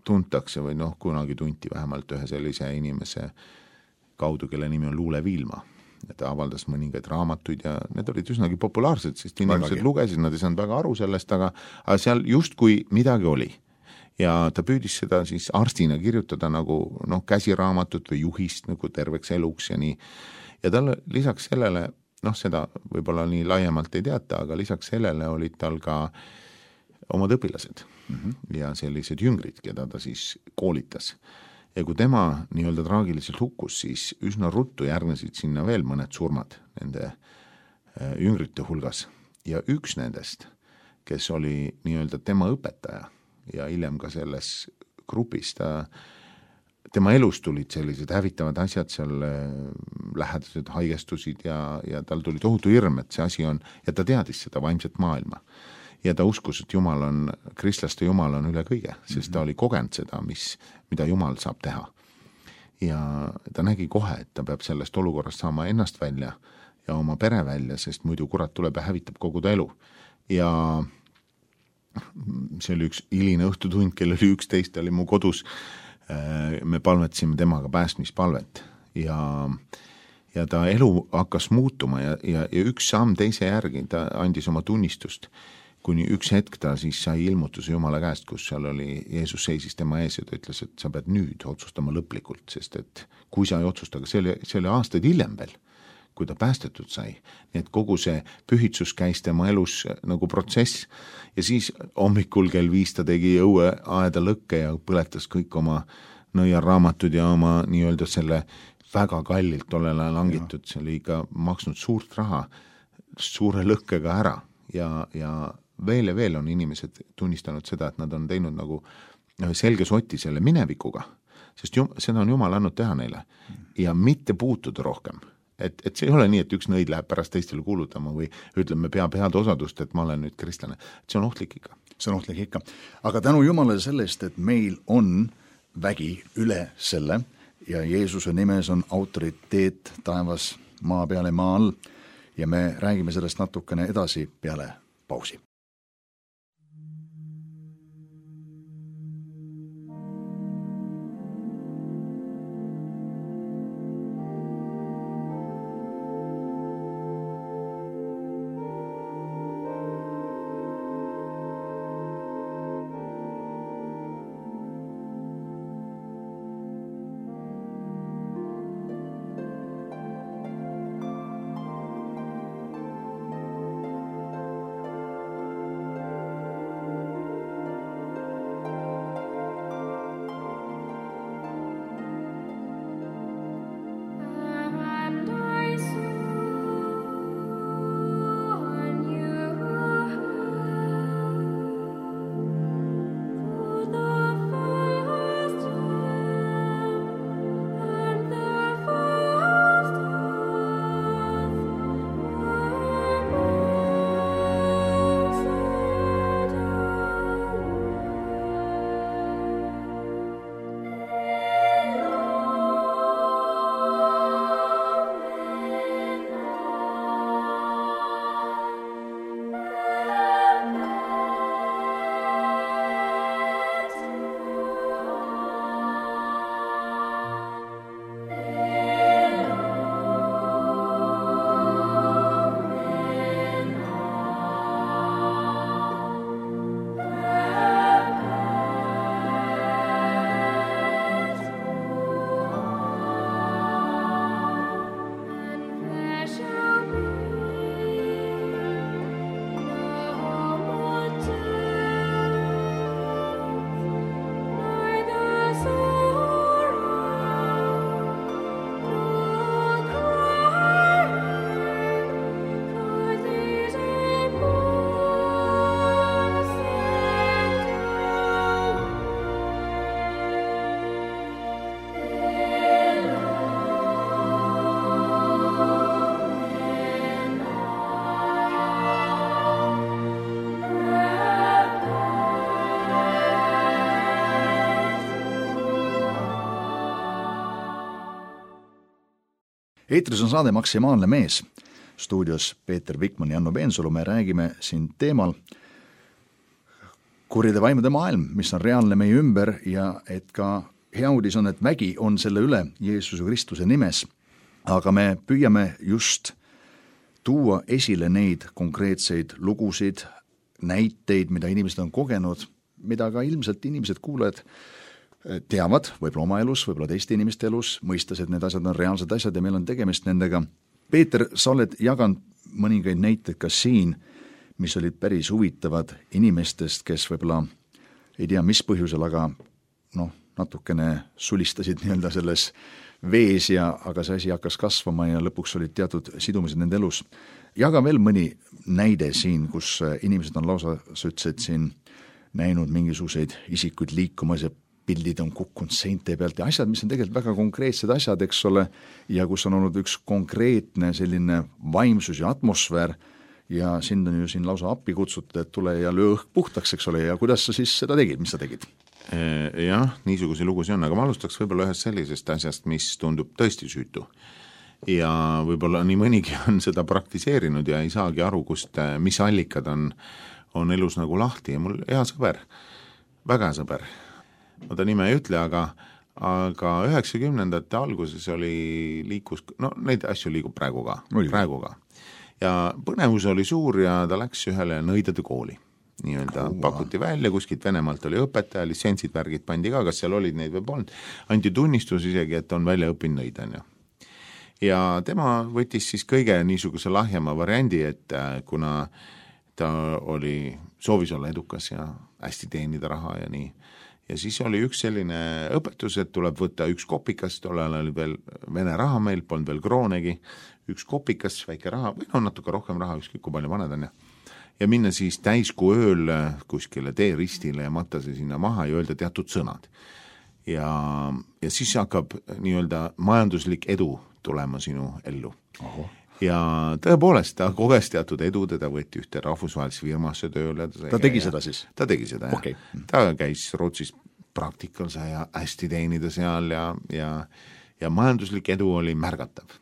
tuntakse või noh, kunagi tunti vähemalt ühe sellise inimese kaudu, kelle nimi on Luule Viilma. Ja ta avaldas mõningaid raamatuid ja need olid üsnagi populaarsed, sest inimesed Vägagi. Lugesid, nad ei saanud väga aru sellest, aga, aga seal justkui midagi oli. Ja ta püüdis seda siis arstina kirjutada nagu noh, käsiraamatut või juhist nagu terveks eluks ja nii. Ja tal lisaks sellele, noh seda võib-olla nii laiemalt ei teata, aga lisaks sellele olid tal ka omad õpilased mm-hmm. ja sellised jüngrid, keda ta siis koolitas. Ja kui tema nii-öelda traagiliselt hukkus, siis üsna ruttu järgnesid sinna veel mõned surmad nende jüngrite hulgas. Ja üks nendest, kes oli nii-öelda tema õpetaja, ja hiljem ka selles grupis ta, tema elus tulid sellised hävitavad asjad, seal lähedased haigestusid ja, ja tal tuli tohutu hirm, et see asi on, ja ta teadis seda vaimset maailma. Ja ta uskus, et Jumal on, kristlaste Jumal on üle kõige, sest ta oli kogenud seda, mis, mida Jumal saab teha. Ja ta nägi kohe, et ta peab sellest olukorrast saama ennast välja ja oma pere välja, sest muidu kurat tuleb ja hävitab kogu ta elu. Ja see oli üks hiline õhtutund, kell oli üksteist, oli mu kodus, me palvetasime temaga päästmispalvet ja, ja ta elu hakkas muutuma ja, ja, ja üks samm teise järgi, ta andis oma tunnistust, kuni üks hetk ta siis sai ilmutuse Jumala käest, kus seal oli, Jeesus seisis tema ees ja ta ütles, et sa pead nüüd otsustama lõplikult, sest et kui sa ei otsusta, aga see oli, see oli aastaid hiljem veel, kui ta päästetud sai. Nii et kogu see pühitsus käis tema elus nagu protsess ja siis hommikul kell viis ta tegi õue aeda lõkke ja põletas kõik oma nõiarraamatud ja oma nii-öelda selle väga kallilt tollel ajal hangitud, see oli ikka maksnud suurt raha suure lõkkega ära ja, ja veel ja veel on inimesed tunnistanud seda, et nad on teinud nagu selge soti selle minevikuga, sest jum, seda on Jumal andnud teha neile ja mitte puutuda rohkem. Et, et see ei ole nii, et üks nõid läheb pärast teistele kuulutama või ütleme, peab head osadust, et ma olen nüüd kristlane. See on ohtlik ikka. See on ohtlik ikka. Aga tänu Jumalale sellest, et meil on vägi üle selle ja Jeesuse nimes on autoriteet taevas, maa peale, maa all ja me räägime sellest natukene edasi peale pausi. Eetris on saade Maksimaalne mees. Stuudios Peeter Vikman ja Janno Peensalu. Me räägime siin teemal kurjade vaimude maailm, mis on reaalne meie ümber ja et ka hea uudis on, et vägi on selle üle Jeesuse Kristuse nimes. Aga me püüame just tuua esile neid konkreetseid lugusid, näiteid, mida inimesed on kogenud, mida ka ilmselt inimesed kuulajad teavad, võib-olla oma elus, võib-olla teiste inimeste elus, mõistes, et need asjad on reaalsed asjad ja meil on tegemist nendega. Peeter, sa oled jaganud mõningaid näiteid ka siin, mis olid päris huvitavad inimestest, kes võib-olla ei tea, mis põhjusel, aga noh, natukene sulistasid nii-öelda selles vees ja aga see asi hakkas kasvama ja lõpuks olid teatud sidumised nende elus. Jaga veel mõni näide siin, kus inimesed on lausa, sa ütlesid siin, näinud mingisuguseid isikuid liikumas ja pildid on kukkunud seinte pealt ja asjad, mis on tegelikult väga konkreetsed asjad, eks ole, ja kus on olnud üks konkreetne selline vaimsus ja atmosfäär ja sind on ju siin lausa appi kutsutud, et tule ja löö õhk puhtaks, eks ole, ja kuidas sa siis seda tegid, mis sa tegid? Jah, niisuguse lugusi on, aga ma alustaks võib-olla ühest sellisest asjast, mis tundub tõesti süütu. Ja võib-olla nii mõnigi on seda praktiseerinud ja ei saagi aru, kust, mis allikad on, on elus nagu lahti ja mul hea sõber, väga hea sõber, ma ta nime ei ütle, aga, aga üheksakümnendate alguses oli liikus, no neid asju liigub praegu ka, praegu ka. Ja põnevus oli suur ja ta läks ühele nõidade kooli. Nii-öelda oh, pakuti välja, kuskilt Venemaalt oli õpetaja, litsentsid, värgid pandi ka, kas seal olid neid või polnud, anti tunnistus isegi, et on välja õppinud nõidan. Ja. ja tema võttis siis kõige niisuguse lahjema variandi, et kuna ta oli, soovis olla edukas ja hästi teenida raha ja nii, ja siis oli üks selline õpetus, et tuleb võtta üks kopikas, tollal oli veel vene raha meil, polnud veel kroonegi, üks kopikas, väike raha, või no natuke rohkem raha, ükskõik kui palju vaned on ja ja minna siis täiskuu ööl kuskile teeristile ja matta see sinna maha ja öelda teatud sõnad. Ja, ja siis hakkab nii-öelda majanduslik edu tulema sinu ellu. Oho. Ja tõepoolest, ta koges teatud edu, teda võeti ühte rahvusvahelise firmasse tööle. Ta tegi seda siis? Ta tegi seda, okay. jah. Ta käis Rootsis praktikal ja hästi teenida seal ja, ja, ja majanduslik edu oli märgatav.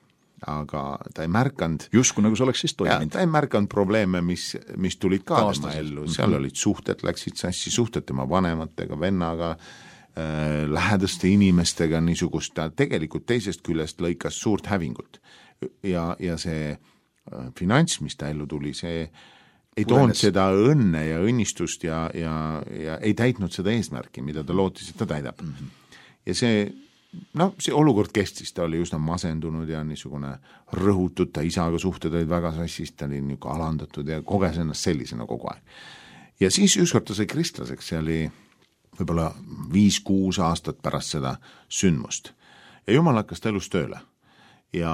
Aga ta ei märkanud justkui nagu see oleks siis toiminud. Ta ei märkanud probleeme, mis, mis tulid ka tema ellu, seal olid suhted, läksid sassi, suhted tema vanematega, vennaga, äh, lähedaste inimestega, niisugust, ta tegelikult teisest küljest lõikas suurt hävingut ja, ja see äh, finants, mis ta ellu tuli, see ei toonud seda õnne ja õnnistust ja, ja, ja ei täitnud seda eesmärki, mida ta lootis, et ta täidab. Mm-hmm. Ja see no see olukord kestis, ta oli üsna masendunud ja niisugune rõhutud, ta isaga suhted olid väga sassis, ta oli niisugune alandatud ja koges ennast sellisena kogu aeg. Ja siis ükskord ta sai kristlaseks, see oli võib-olla viis-kuus aastat pärast seda sündmust. Ja Jumal hakkas ta elus tööle. Ja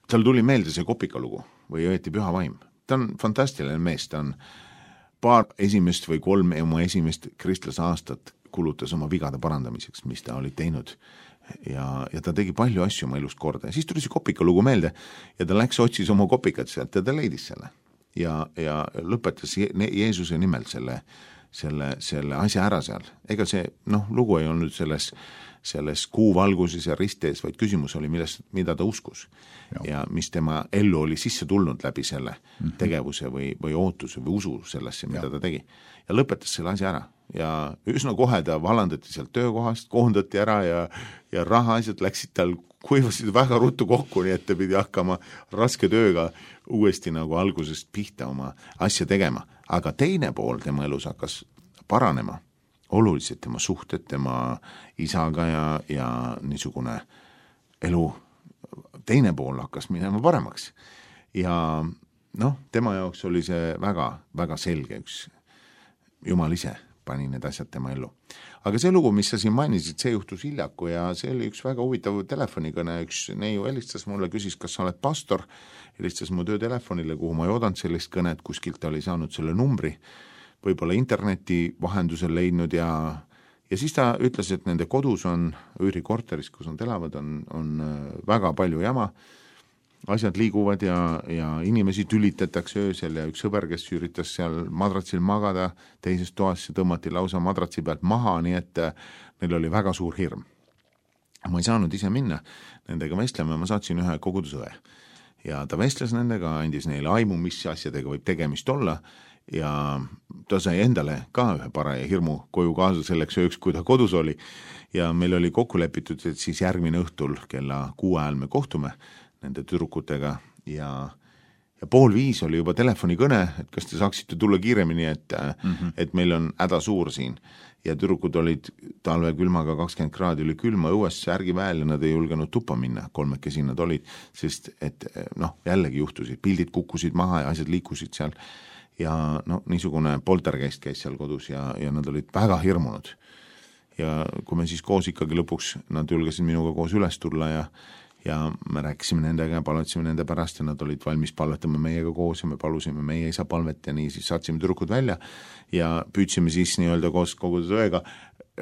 tal tuli meelde see kopikalugu või õieti püha vaim. Ta on fantastiline mees, ta on paar esimest või kolm oma esimest kristlase aastat kulutas oma vigade parandamiseks, mis ta oli teinud ja, ja ta tegi palju asju oma elust korda ja siis tuli see kopikalugu meelde ja ta läks otsis oma kopikat sealt ja ta leidis selle ja, ja lõpetas Je- Jeesuse nimel selle, selle, selle asja ära seal. Ega see noh, lugu ei olnud selles, selles kuuvalguses ja ristees, vaid küsimus oli, millest, mida ta uskus ja. ja mis tema ellu oli sisse tulnud läbi selle mm-hmm. tegevuse või, või ootuse või usu sellesse, mida ja. ta tegi ja lõpetas selle asja ära. Ja üsna kohe ta valandati sealt töökohast, koondati ära ja, ja raha asjad läksid tal, kuivasid väga ruttu kokku, nii et ta pidi hakkama raske tööga uuesti nagu algusest pihta oma asja tegema. Aga teine pool tema elus hakkas paranema, oluliselt tema suhted tema isaga ja, ja niisugune elu, teine pool hakkas minema paremaks. Ja noh, tema jaoks oli see väga, väga selge üks Jumal ise pani need asjad tema ellu. Aga see lugu, mis sa siin mainisid, see juhtus hiljaku ja see oli üks väga huvitav telefonikõne, üks neiu helistas mulle, küsis, kas sa oled pastor, helistas mu töötelefonile, kuhu ma ei oodanud sellist kõnet, kuskilt oli saanud selle numbri, võib-olla interneti vahendusel leidnud ja, ja siis ta ütles, et nende kodus on, üürikorteris, kus nad elavad, on, on väga palju jama, asjad liiguvad ja, ja inimesi tülitatakse öösel ja üks sõber, kes üritas seal madratsil magada, teises toas tõmmati lausa madratsi pealt maha, nii et neil oli väga suur hirm. ma ei saanud ise minna nendega vestlema, ma saatsin ühe kogudusõe ja ta vestles nendega, andis neile aimu, mis asjadega võib tegemist olla ja ta sai endale ka ühe paraja hirmu koju kaasa selleks ööks, kui ta kodus oli ja meil oli kokku lepitud, et siis järgmine õhtul kella kuue ajal me kohtume nende tüdrukutega ja ja pool viis oli juba telefonikõne, et kas te saaksite tulla kiiremini, et, mm-hmm. et meil on häda suur siin. Ja tüdrukud olid talve külmaga kakskümmend kraadi oli külma õues särgi väel ja nad ei julgenud tuppa minna, kolmekesi nad olid, sest et noh, jällegi juhtusid, pildid kukkusid maha ja asjad liikusid seal ja no niisugune poltergeist käis seal kodus ja, ja nad olid väga hirmunud. Ja kui me siis koos ikkagi lõpuks, nad julgesid minuga koos üles tulla ja ja me rääkisime nendega ja palvetasime nende pärast ja nad olid valmis palvetama meiega koos ja me palusime meie isa palvet ja nii siis saatsime tüdrukud välja ja püüdsime siis nii-öelda koos kogudusõega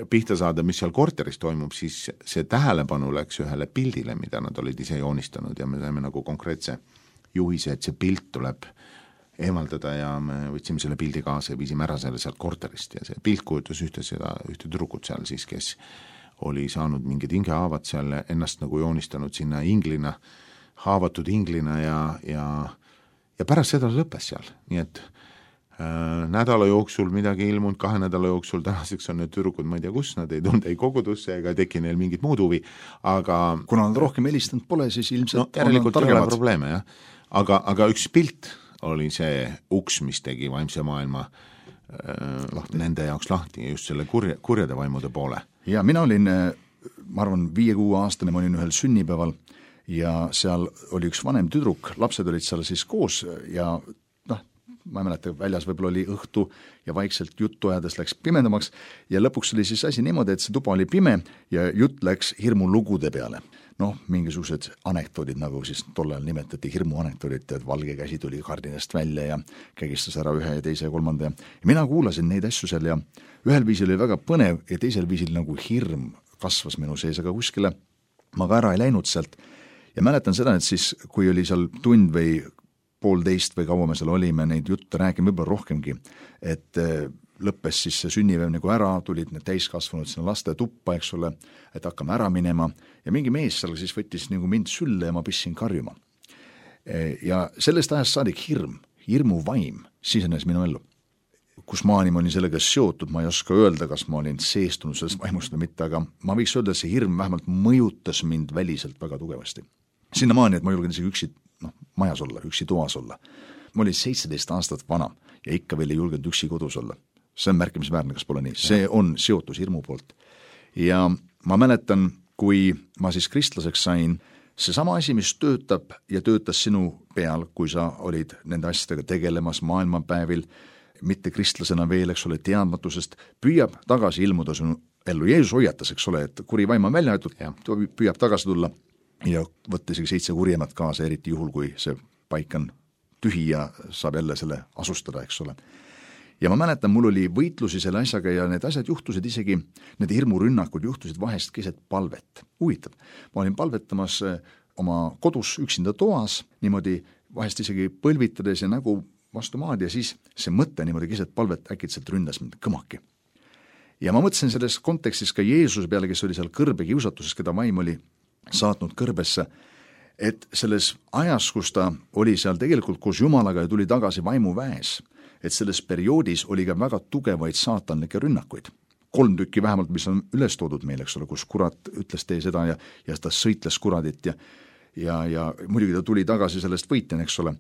pihta saada, mis seal korteris toimub, siis see tähelepanu läks ühele pildile, mida nad olid ise joonistanud ja me saime nagu konkreetse juhise, et see pilt tuleb eemaldada ja me võtsime selle pildi kaasa ja viisime ära selle sealt korterist ja see pilt kujutas ühte, seda, ühte tüdrukut seal siis, kes oli saanud mingid hingehaavad seal ennast nagu joonistanud sinna inglina, haavatud inglina ja, ja, ja pärast seda lõppes seal. Nii et äh, nädala jooksul midagi ilmunud, kahe nädala jooksul tänaseks on need tüdrukud, ma ei tea kus, nad ei tulnud ei kogudusse ega teki neil mingit muud huvi, aga kuna nad rohkem helistanud pole, siis ilmselt no, järelikult ei ole probleeme, jah. Aga, aga üks pilt oli see uks, mis tegi vaimse maailma lahti. Nende jaoks lahti just selle kurja, kurjade vaimude poole. Ja mina olin, ma arvan, viie-kuue aastane, ma olin ühel sünnipäeval ja seal oli üks vanem tüdruk, lapsed olid seal siis koos ja noh, ma ei mäleta, väljas võib-olla oli õhtu ja vaikselt juttu ajades läks pimedamaks ja lõpuks oli siis asi niimoodi, et see tuba oli pime ja jutt läks hirmulugude peale. Noh, mingisugused anekdoodid, nagu siis tollal nimetati hirmuanekdoodid, et valge käsi tuli kardinast välja ja kägistas ära ühe ja teise ja kolmanda ja mina kuulasin neid asju seal ja ühel viisil oli väga põnev ja teisel viisil nagu hirm kasvas minu sees, aga kuskile ma ka ära ei läinud sealt ja mäletan seda, et siis kui oli seal tund või poolteist või kaua me seal olime neid jutte rääkima, võib-olla rohkemgi, et lõppes siis see sünnipäev nagu ära, tulid need täiskasvanud sinna laste tuppa, eks ole, et hakkame ära minema ja mingi mees seal siis võttis nagu mind sülle ja ma pissin karjuma. Ja sellest ajast saadik hirm, hirmu vaim sisenes minu ellu. Kus maani ma olin sellega seotud, ma ei oska öelda, kas ma olin seestunud sellest vaimust või mitte, aga ma võiks öelda, et see hirm vähemalt mõjutas mind väliselt väga tugevasti. Sinna maani, et ma julgen isegi üksi noh, majas olla, üksi toas olla. Ma olin seitseteist aastat vana ja ikka veel ei julgenud üksi kodus olla. See on märkimisväärne, kas pole nii. See on seotus hirmu poolt. Ja ma mäletan, kui ma siis kristlaseks sain, see sama asi, mis töötab ja töötas sinu peal, kui sa olid nende asjadega tegelemas maailmapäevil, mitte kristlasena veel, eks ole, teadmatusest, püüab tagasi ilmuda sinu ellu. Jeesus hoiatas, eks ole, et kuri vaim on välja aetud, püüab tagasi tulla ja võtta isegi seitse kurjemat kaasa, eriti juhul, kui see paik on tühi ja saab jälle selle asustada, eks ole. Ja ma mäletan, mul oli võitlusi selle asjaga ja need asjad juhtusid isegi, need hirmurünnakud juhtusid vahest keset palvet. Huvitav. Ma olin palvetamas oma kodus üksinda toas, niimoodi vahest isegi põlvitades ja nägu vastu maad ja siis see mõte niimoodi keset palvet äkitselt ründas mind kõmaki. Ja ma mõtlesin selles kontekstis ka Jeesuse peale, kes oli seal kõrbe kiusatuses, keda vaim oli saatnud kõrbesse, et selles ajas, kus ta oli seal tegelikult koos Jumalaga ja tuli tagasi vaimu väes, et selles perioodis oli ka väga tugevaid saatanlikke rünnakuid. Kolm tükki vähemalt, mis on üles toodud meil, eks ole, kus kurat ütles tee seda ja, ja ta sõitles kuradit ja, ja, ja muidugi ta tuli tagasi sellest võitjan, eks ole.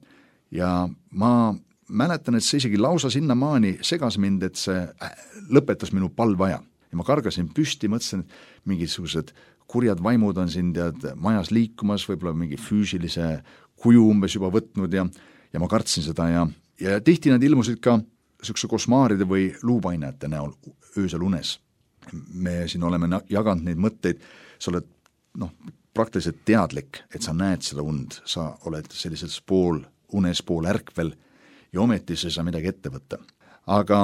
Ja ma mäletan, et see isegi lausa sinna maani segas mind, et see lõpetas minu palvaja. Ja ma kargasin püsti, mõtlesin, et mingisugused kurjad vaimud on siin tead majas liikumas, võib-olla mingi füüsilise kuju umbes juba võtnud ja, ja ma kartsin seda ja Ja tihti nad ilmusid ka sükse kosmaaride või luupainajate näol öösel unes. Me siin oleme jaganud neid mõtteid, sa oled noh, praktiliselt teadlik, et sa näed seda und, sa oled sellises pool unes, pool ärkvel ja ometi sa ei saa midagi ette võtta. Aga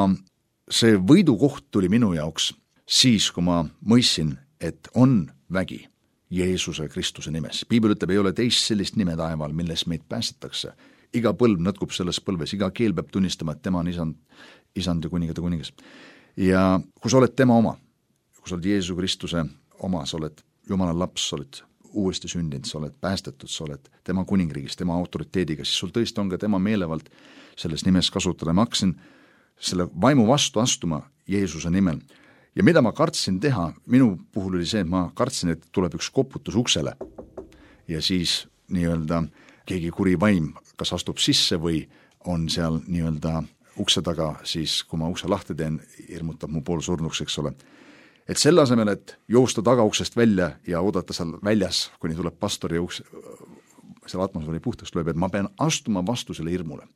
see võidukoht tuli minu jaoks siis, kui ma mõistsin, et on vägi Jeesuse Kristuse nimes. Piibel ütleb, ei ole teist sellist nime taeval, milles meid päästetakse. Iga põlv nõtkub selles põlves, iga keel peab tunnistama, et tema on isand, isand ja kuningade kuningas. Ja kui sa oled tema oma, kui sa oled Jeesuse Kristuse oma, sa oled Jumala laps, sa oled uuesti sündinud, sa oled päästetud, sa oled tema kuningriigis, tema autoriteediga, siis sul tõesti on ka tema meelevald selles nimes kasutada. Ma hakkasin selle vaimu vastu astuma Jeesuse nimel. Ja mida ma kartsin teha, minu puhul oli see, et ma kartsin, et tuleb üks koputus uksele ja siis nii-öelda keegi kuri vaim kas astub sisse või on seal nii-öelda ukse taga, siis kui ma ukse lahti teen, hirmutab mu pool surnuks, eks ole. Et selle asemel, et joosta tagauksest välja ja oodata seal väljas, kuni tuleb pastor ja uks, selle atmosfääri puhtaks lööb, et ma pean astuma vastu selle hirmule.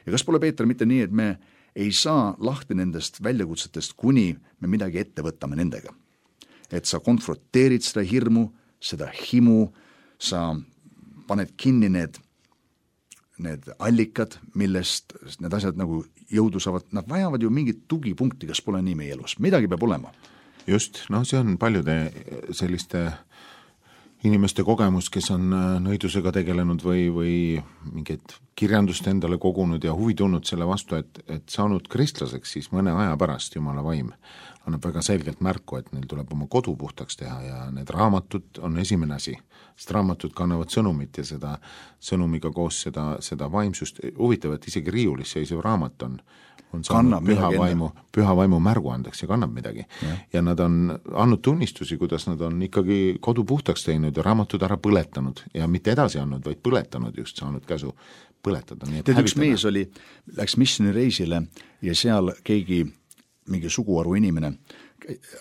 Ja kas pole, Peeter, mitte nii, et me ei saa lahti nendest väljakutsetest, kuni me midagi ette võtame nendega. Et sa konfronteerid seda hirmu, seda himu, sa paned kinni need, need allikad, millest need asjad nagu jõudu saavad, nad vajavad ju mingit tugipunkti, kas pole nii meie elus, midagi peab olema. Just, noh, see on paljude selliste inimeste kogemus, kes on nõidusega tegelenud või, või mingit kirjandust endale kogunud ja huvi tulnud selle vastu, et, et saanud kristlaseks, siis mõne aja pärast Jumala vaim annab väga selgelt märku, et neil tuleb oma kodu puhtaks teha ja need raamatud on esimene asi, sest raamatud kannavad sõnumit ja seda sõnumiga koos seda, seda vaimsust, huvitav, et isegi riiulis seisev raamat on on saanud püha vaimu, püha vaimu märguandeks ja kannab midagi. Ja. ja nad on andnud tunnistusi, kuidas nad on ikkagi kodu puhtaks teinud ja raamatud ära põletanud ja mitte edasi andnud, vaid põletanud just, saanud käsu põletada. Nii, Tead, üks mees oli, läks missioonireisile ja seal keegi, mingi suguharu inimene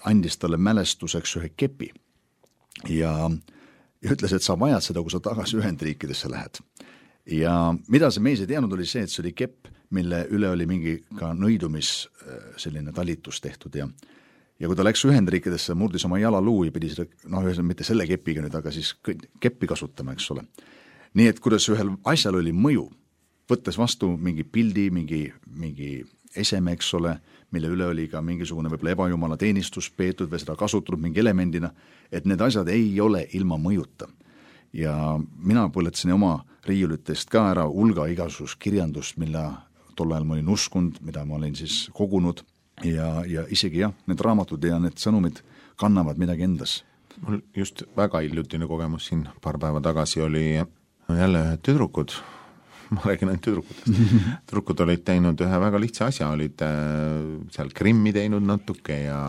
andis talle mälestuseks ühe kepi ja, ja ütles, et sa vajad seda, kui sa tagasi Ühendriikidesse lähed. Ja mida see mees ei teadnud, oli see, et see oli kepp, mille üle oli mingi ka nõidumis selline talitus tehtud ja ja kui ta läks Ühendriikidesse, murdis oma jalaluu ja pidi seda, noh, mitte selle kepiga nüüd, aga siis keppi kasutama, eks ole. Nii et kuidas ühel asjal oli mõju, võttes vastu mingi pildi, mingi, mingi eseme, eks ole, mille üle oli ka mingisugune võib-olla ebajumala teenistus peetud või seda kasutatud mingi elemendina, et need asjad ei ole ilma mõjuta. Ja mina põletasin oma riiulitest ka ära hulga igasugus kirjandust, mille tol ajal ma olin uskunud, mida ma olin siis kogunud ja, ja isegi jah, need raamatud ja need sõnumid kannavad midagi endas. Mul just väga hiljutine kogemus siin paar päeva tagasi oli jälle tüdrukud, ma räägin ainult tüdrukutest, tüdrukud olid teinud ühe väga lihtsa asja, olid seal krimmi teinud natuke ja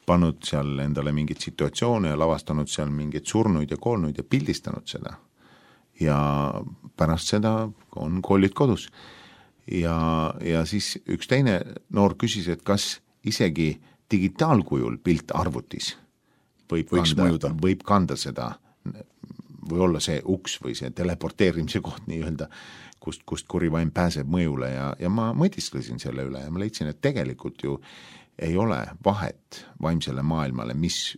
pannud seal endale mingit situatsioone ja lavastanud seal mingeid surnuid ja koolnuid ja pildistanud seda. Ja pärast seda on koolid kodus. Ja, ja siis üks teine noor küsis, et kas isegi digitaalkujul pilt arvutis võib kanda, võib kanda seda, või olla see uks või see teleporteerimise koht nii-öelda, kust, kust kurivaim pääseb mõjule ja, ja ma mõtisklesin selle üle ja ma leidsin, et tegelikult ju ei ole vahet vaimsele maailmale, mis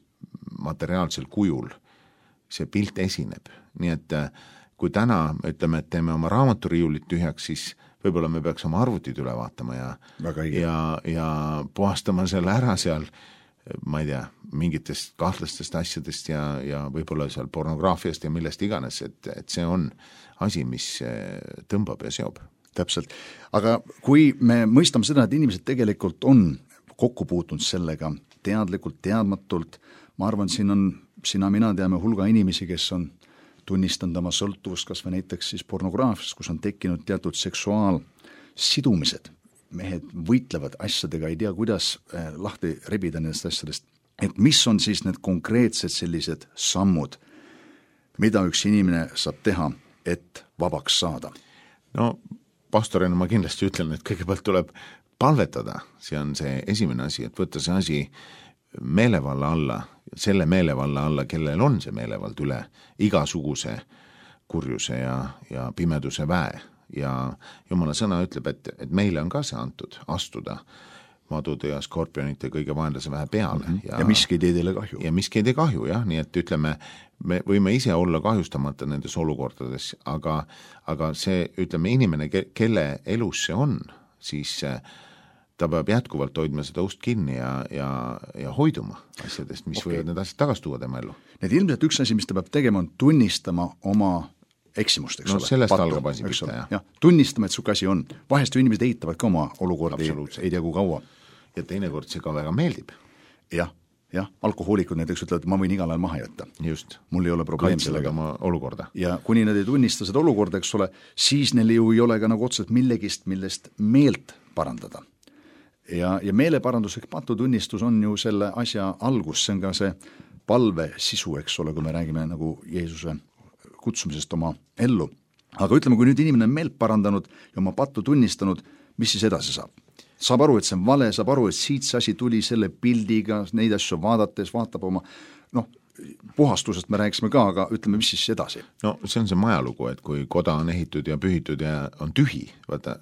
materiaalsel kujul see pilt esineb. Nii et kui täna ütleme, et teeme oma raamaturiiulit tühjaks, siis võib-olla me peaks oma arvutid üle vaatama ja, ja, ja puhastama selle ära seal, ma ei tea, mingitest kahtlastest asjadest ja, ja võib-olla seal pornograafiast ja millest iganes, et, et see on asi, mis tõmbab ja seob. Täpselt. Aga kui me mõistame seda, et inimesed tegelikult on kokku puutunud sellega teadlikult, teadmatult, ma arvan, siin on, sina, mina teame hulga inimesi, kes on tunnistanud oma sõltuvust, kas või näiteks siis pornograafiast, kus on tekkinud teatud seksuaalsidumised. Mehed võitlevad asjadega, ei tea, kuidas lahti rebida nendest asjadest. Et mis on siis need konkreetsed sellised sammud, mida üks inimene saab teha, et vabaks saada? No, pastorina ma kindlasti ütlen, et kõigepealt tuleb palvetada. See on see esimene asi, et võtta see asi meelevalla alla, selle meelevalla alla, kellel on see meelevald üle igasuguse kurjuse ja, ja pimeduse väe. Ja Jumala sõna ütleb, et, et meile on ka see antud astuda madude ja skorpionite kõige vaenlase vähe peale. Mm-hmm. Ja, ja miski ei tee teile kahju. Ja miski ei tee kahju, jah, nii et ütleme, me võime ise olla kahjustamata nendes olukordades, aga, aga see, ütleme, inimene, kelle elus see on, siis ta peab jätkuvalt hoidma seda ust kinni ja, ja, ja hoiduma asjadest, mis okay. võivad need asjad tagasi tuua tema ellu. Need ilmselt üks asi, mis ta peab tegema, on tunnistama oma eksimust, eks no, ole. Sellest algab asi pihta, jah. Ja, tunnistama, et su käsi on. Vahest ju inimesed eitavad ka oma olukordi, ei tea kui kaua. Ja teinekord see ka väga meeldib. Jah, jah, alkohoolikud näiteks ütlevad, et ma võin igal ajal maha jätta. Just. Mul ei ole probleem Kaitsevad sellega. oma olukorda. Ja kuni nad ei tunnista seda olukorda, eks ole, siis neil ju ei ole ka nagu otseselt millegist, millest meelt parandada. Ja, ja meeleparanduslik patutunnistus on ju selle asja algus, see on ka see palve sisu, eks ole, kui me räägime nagu Jeesuse kutsumisest oma ellu. Aga ütleme, kui nüüd inimene on meelt parandanud ja oma pattu tunnistanud, mis siis edasi saab? Saab aru, et see on vale, saab aru, et siit see asi tuli selle pildiga, neid asju vaadates, vaatab oma, noh, puhastusest me rääkisime ka, aga ütleme, mis siis edasi? No see on see majalugu, et kui koda on ehitud ja pühitud ja on tühi, vaata,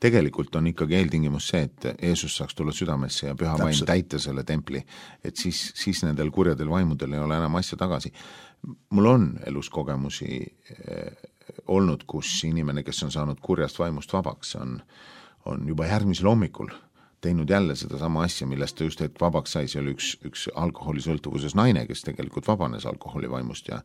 tegelikult on ikkagi eeltingimus see, et Jeesus saaks tulla südamesse ja püha vaim täita selle templi, et siis, siis nendel kurjadel vaimudel ei ole enam asja tagasi. Mul on elus kogemusi eh, olnud, kus inimene, kes on saanud kurjast vaimust vabaks, on on juba järgmisel hommikul teinud jälle seda sama asja, millest ta just hetk vabaks sai, see oli üks, üks alkoholisõltuvuses naine, kes tegelikult vabanes alkoholivaimust ja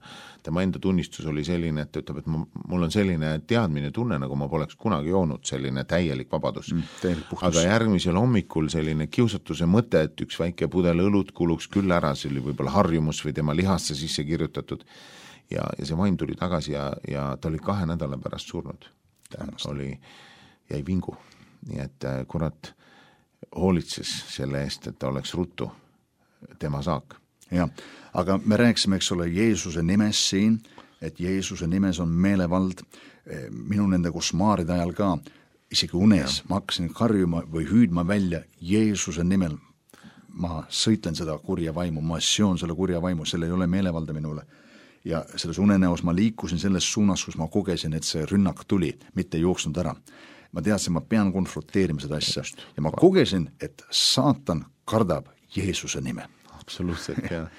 tema enda tunnistus oli selline, et ta ütleb, et mul on selline teadmine tunne, nagu ma poleks kunagi joonud, selline täielik vabadus. Mm, täielik aga järgmisel hommikul selline kiusatuse mõte, et üks väike pudel õlut kuluks küll ära, see oli võib-olla harjumus või tema lihasse sisse kirjutatud ja, ja see vaim tuli tagasi ja, ja ta oli kahe nädala pärast surnud. Ta oli, jäi vingu. Nii et kurat hoolitses selle eest, et ta oleks ruttu tema saak. Ja, aga me rääkisime, eks ole, Jeesuse nimes siin, et Jeesuse nimes on meelevald. Minu nende košmaaride ajal ka, isegi unes, ja. Ma hakkasin karjuma või hüüdma välja Jeesuse nimel. Ma sõitlen seda kurja vaimu, ma seon selle kurja vaimu, selle ei ole meelevalda minule. Ja selles unenäos ma liikusin selles suunas, kus ma kogesin, et see rünnak tuli, mitte jooksnud ära. Ma teadsin, ma pean konfronteerima seda asja ja ma kogesin, et saatan kardab Jeesuse nime. Absoluutselt, jah.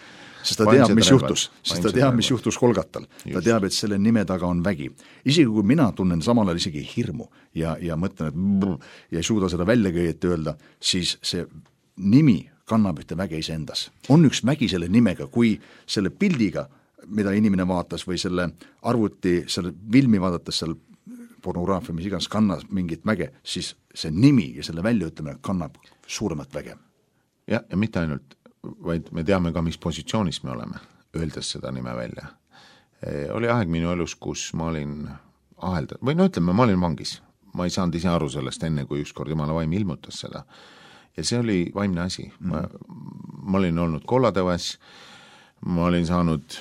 Sest ta teab, mis juhtus, sest ta teab, mis juhtus Kolgatal. Ta teab, et selle nime taga on vägi. Isegi kui mina tunnen samal ajal isegi hirmu ja, ja mõtlen, et brr, ja ei suuda seda väljakäiet öelda, siis see nimi kannab ühte väge ise endas. On üks vägi selle nimega, kui selle pildiga, mida inimene vaatas või selle arvuti, selle filmi vaadates seal pornograafia, mis iganes kannab mingit väge, siis see nimi ja selle väljaütlemine kannab suuremat väge. Ja, ja mitte ainult, vaid me teame ka, mis positsioonis me oleme, öeldes seda nime välja. E, oli aeg minu elus, kus ma olin ahelda, või no ütleme, ma olin vangis. Ma ei saanud ise aru sellest enne, kui ükskord Jumala vaim ilmutas seda. Ja see oli vaimne asi. Ma, ma olin olnud kollatõves, ma olin saanud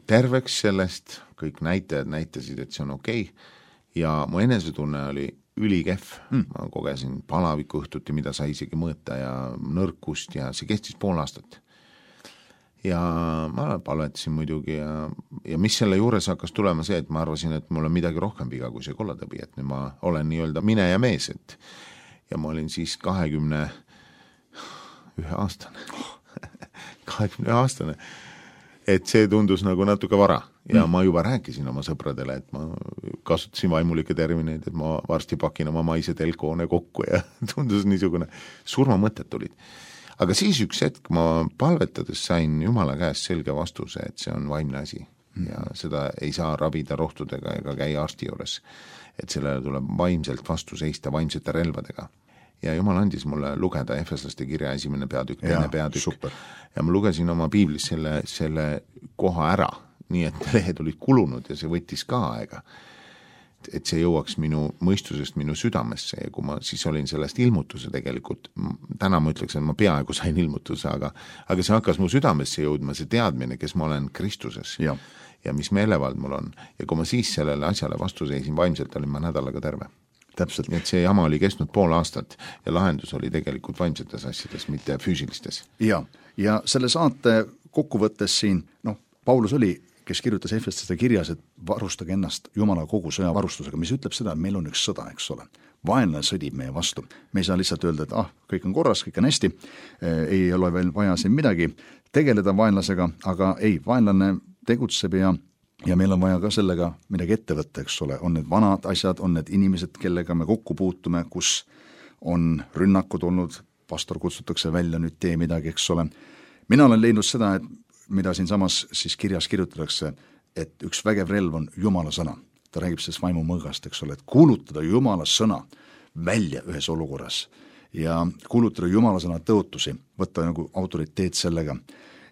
terveks sellest, kõik näitajad näitasid, et see on okei. Ja mu enesetunne oli ülikehv, mm. ma kogesin palaviku õhtuti, mida sai isegi mõõta ja nõrkust ja see kestis pool aastat. Ja ma palvetasin muidugi ja, ja mis selle juures hakkas tulema see, et ma arvasin, et mul on midagi rohkem viga kui see kollatõbi, et nüüd ma olen nii-öelda mine ja mees, et ja ma olin siis kahekümne ühe aastane, kahekümne ühe aastane, et see tundus nagu natuke vara. Ja ma juba rääkisin oma sõpradele, et ma kasutasin vaimulikke termineid, et ma varsti pakin oma maise telkoone kokku ja tundus niisugune surmamõtted tulid. Aga siis üks hetk ma palvetades sain Jumala käest selge vastuse, et see on vaimne asi ja seda ei saa ravida rohtudega ega käia arsti juures, et sellele tuleb vaimselt vastu seista vaimsete relvadega. Ja Jumal andis mulle lugeda Efeslaste kirja esimene peatükk, teine peatükk super. Ja ma lugesin oma piiblis selle, selle koha ära, nii et lehed olid kulunud ja see võttis ka aega, et see jõuaks minu mõistusest minu südamesse ja kui ma siis olin sellest ilmutuse tegelikult, täna ma ütleks, et ma peaaegu sain ilmutuse, aga, aga see hakkas mu südamesse jõudma, see teadmine, kes ma olen Kristuses ja, ja mis meelevald mul on ja kui ma siis sellele asjale vastu seisin vaimselt, olin ma nädalaga terve. Täpselt. Et see jama oli kestnud pool aastat ja lahendus oli tegelikult vaimsetes asjades, mitte füüsilistes. Ja, ja selle saate kokkuvõttes siin, noh, Paulus oli, kes kirjutas Efeslaste kirjas, et varustage ennast Jumala kogu sõjavarustusega, mis ütleb seda, et meil on üks sõda, eks ole. Vaenlane sõdib meie vastu. Me ei saa lihtsalt öelda, et ah, kõik on korras, kõik on hästi, ei ole veel vaja siin midagi tegeleda vaenlasega, aga ei, vaenlane tegutseb ja ja meil on vaja ka sellega midagi ette võtta, eks ole, on need vanad asjad, on need inimesed, kellega me kokku puutume, kus on rünnakud olnud, pastor kutsutakse välja, nüüd tee midagi, eks ole. Mina olen leidnud seda, et mida siin samas siis kirjas kirjutatakse, et üks vägev relv on Jumala sõna. Ta räägib sellest vaimu mõõgast, eks ole, et kuulutada Jumala sõna välja ühes olukorras ja kuulutada Jumala sõna tõotusi, võtta nagu autoriteet sellega.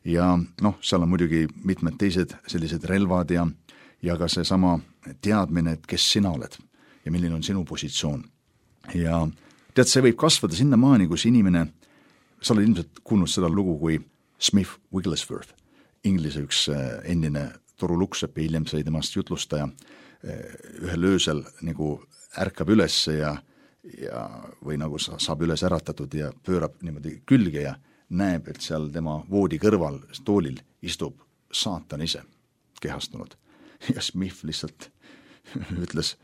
Ja noh, seal on muidugi mitmed teised sellised relvad ja, ja ka see sama teadmine, et kes sina oled ja milline on sinu positsioon. Ja tead, see võib kasvada sinna maani, kus inimene, sa oled ilmselt kuulnud seda lugu kui Smith Wigglesworth, Inglise üks endine toruluksepp ja hiljem sai temast jutlustaja, ühel öösel nagu ärkab üles ja, ja või nagu saab üles äratatud ja pöörab niimoodi külge ja näeb, et seal tema voodi kõrval toolil istub saatan ise kehastunud. Ja Smith lihtsalt ütles,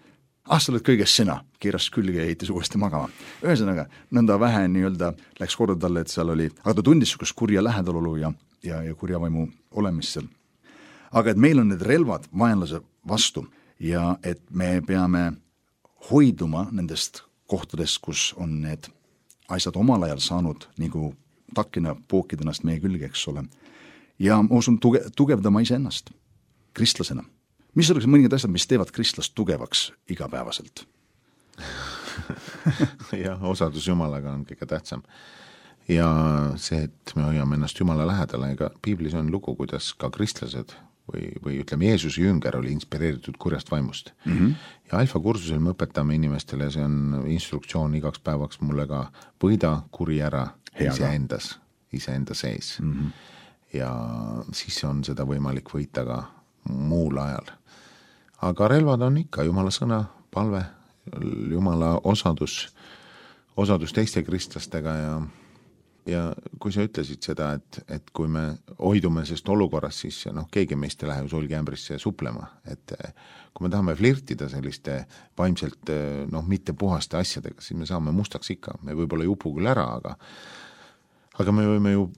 ah, sa oled kõigest sina, keeras külge ja heitis uuesti magama. Ühesõnaga, nõnda vähe nii-öelda läks korda talle, et seal oli, aga ta tundis sukust kurja lähedalolu ja, ja, ja kurja vaimu olemist seal. Aga et meil on need relvad vaenlase vastu ja et me peame hoiduma nendest kohtadest, kus on need asjad omal ajal saanud nagu takkina pookida ennast meie külge, eks ole. Ja ma usun tuge, tugevdama iseennast kristlasena. Mis oleks mõningad asjad, mis teevad kristlast tugevaks igapäevaselt? jah, osadus Jumalaga on kõige tähtsam. Ja see, et me hoiame ennast Jumala lähedale, ega piiblis on lugu, kuidas ka kristlased või, või ütleme, Jeesuse jünger oli inspireeritud kurjast vaimust. Mm-hmm. Ja alfa kursusel me õpetame inimestele, see on instruktsioon igaks päevaks mulle ka võida kuri ära iseendas, iseenda sees. Mm-hmm. Ja siis on seda võimalik võita ka muul ajal. Aga relvad on ikka Jumala sõna, palve, Jumala osadus, osadus teiste kristlastega ja ja kui sa ütlesid seda, et, et kui me hoidume sest olukorras, siis noh, keegi meist ei lähe ju sulgiämbrisse suplema, et kui me tahame flirtida selliste vaimselt noh, mitte puhaste asjadega, siis me saame mustaks ikka, me võib-olla ei upu küll ära, aga aga me võime ju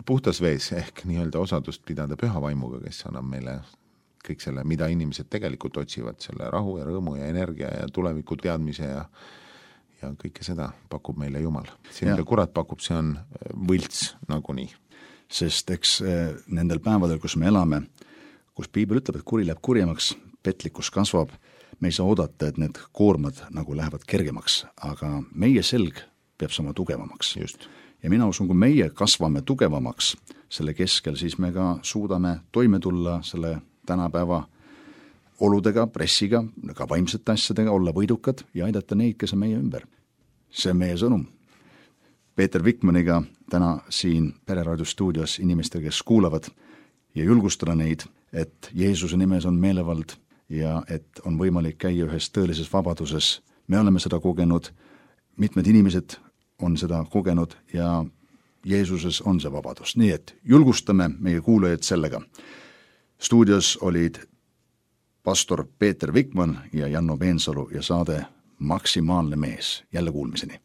puhtas vees ehk nii-öelda osadust pidada püha vaimuga, kes annab meile kõik selle, mida inimesed tegelikult otsivad, selle rahu ja rõõmu ja energia ja tuleviku teadmise ja ja kõike seda pakub meile Jumal. See, mida kurat pakub, see on võlts nagunii. Sest eks nendel päevadel, kus me elame, kus piibel ütleb, et kuri läheb kurjemaks, petlikkus kasvab, me ei saa oodata, et need koormad nagu lähevad kergemaks, aga meie selg peab saama tugevamaks. Just. Ja mina usun, kui meie kasvame tugevamaks selle keskel, siis me ka suudame toime tulla selle tänapäeva oludega, pressiga, ka vaimsete asjadega, olla võidukad ja aidata neid, kes on meie ümber. See on meie sõnum. Peeter Vikmaniga täna siin Pereraadio stuudios inimestel, kes kuulavad ja julgustada neid, et Jeesuse nimes on meelevald ja et on võimalik käia ühes tõelises vabaduses. Me oleme seda kogenud, mitmed inimesed on seda kogenud ja Jeesuses on see vabadus. Nii et julgustame meie kuulajaid sellega. Stuudios olid pastor Peeter Vikman ja Janno Peensalu ja saade Maksimaalne mees. Jälle kuulmiseni.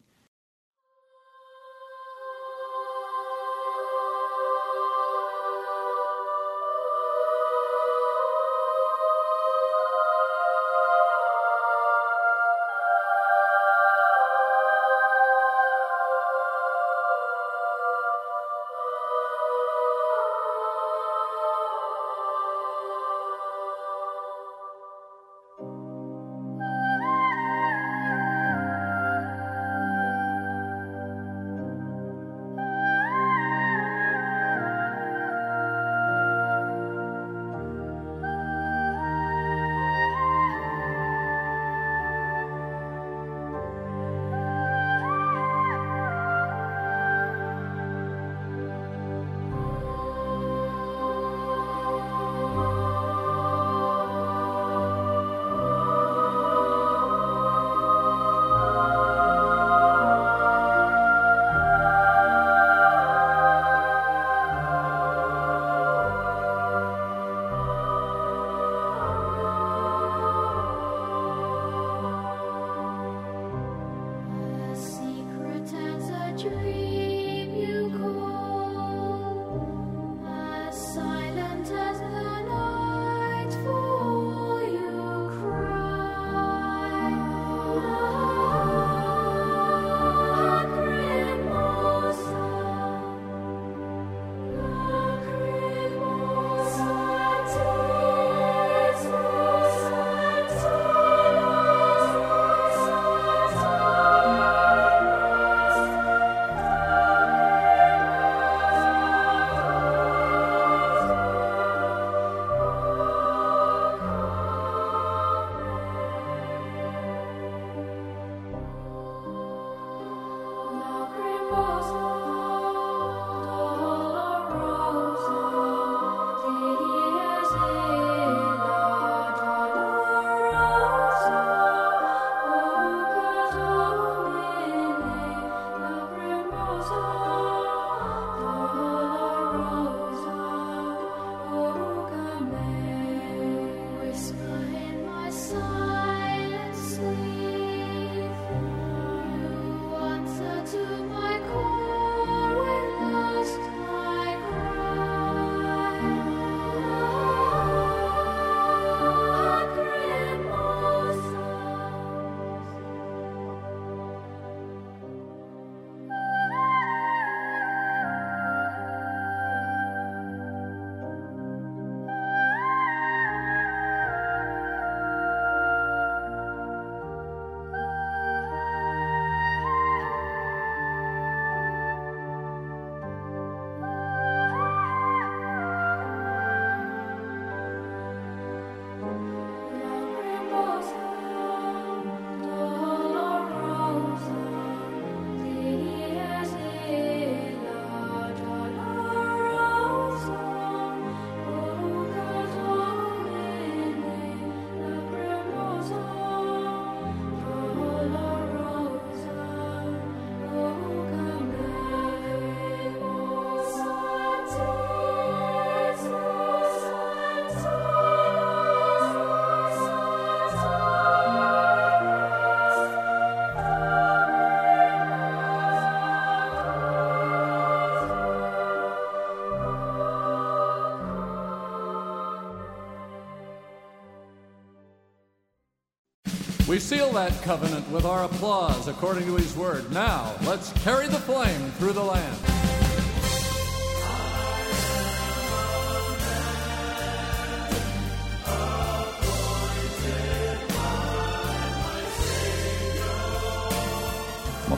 We seal that covenant with our applause according to his word. Now, let's carry the flame through the land.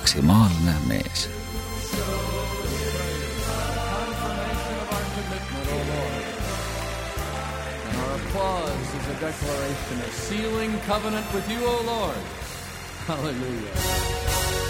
Maksimaalne mees. Confirmation of our commitment, O Lord. And our applause is a declaration of sealing covenant with you, O Lord. Hallelujah.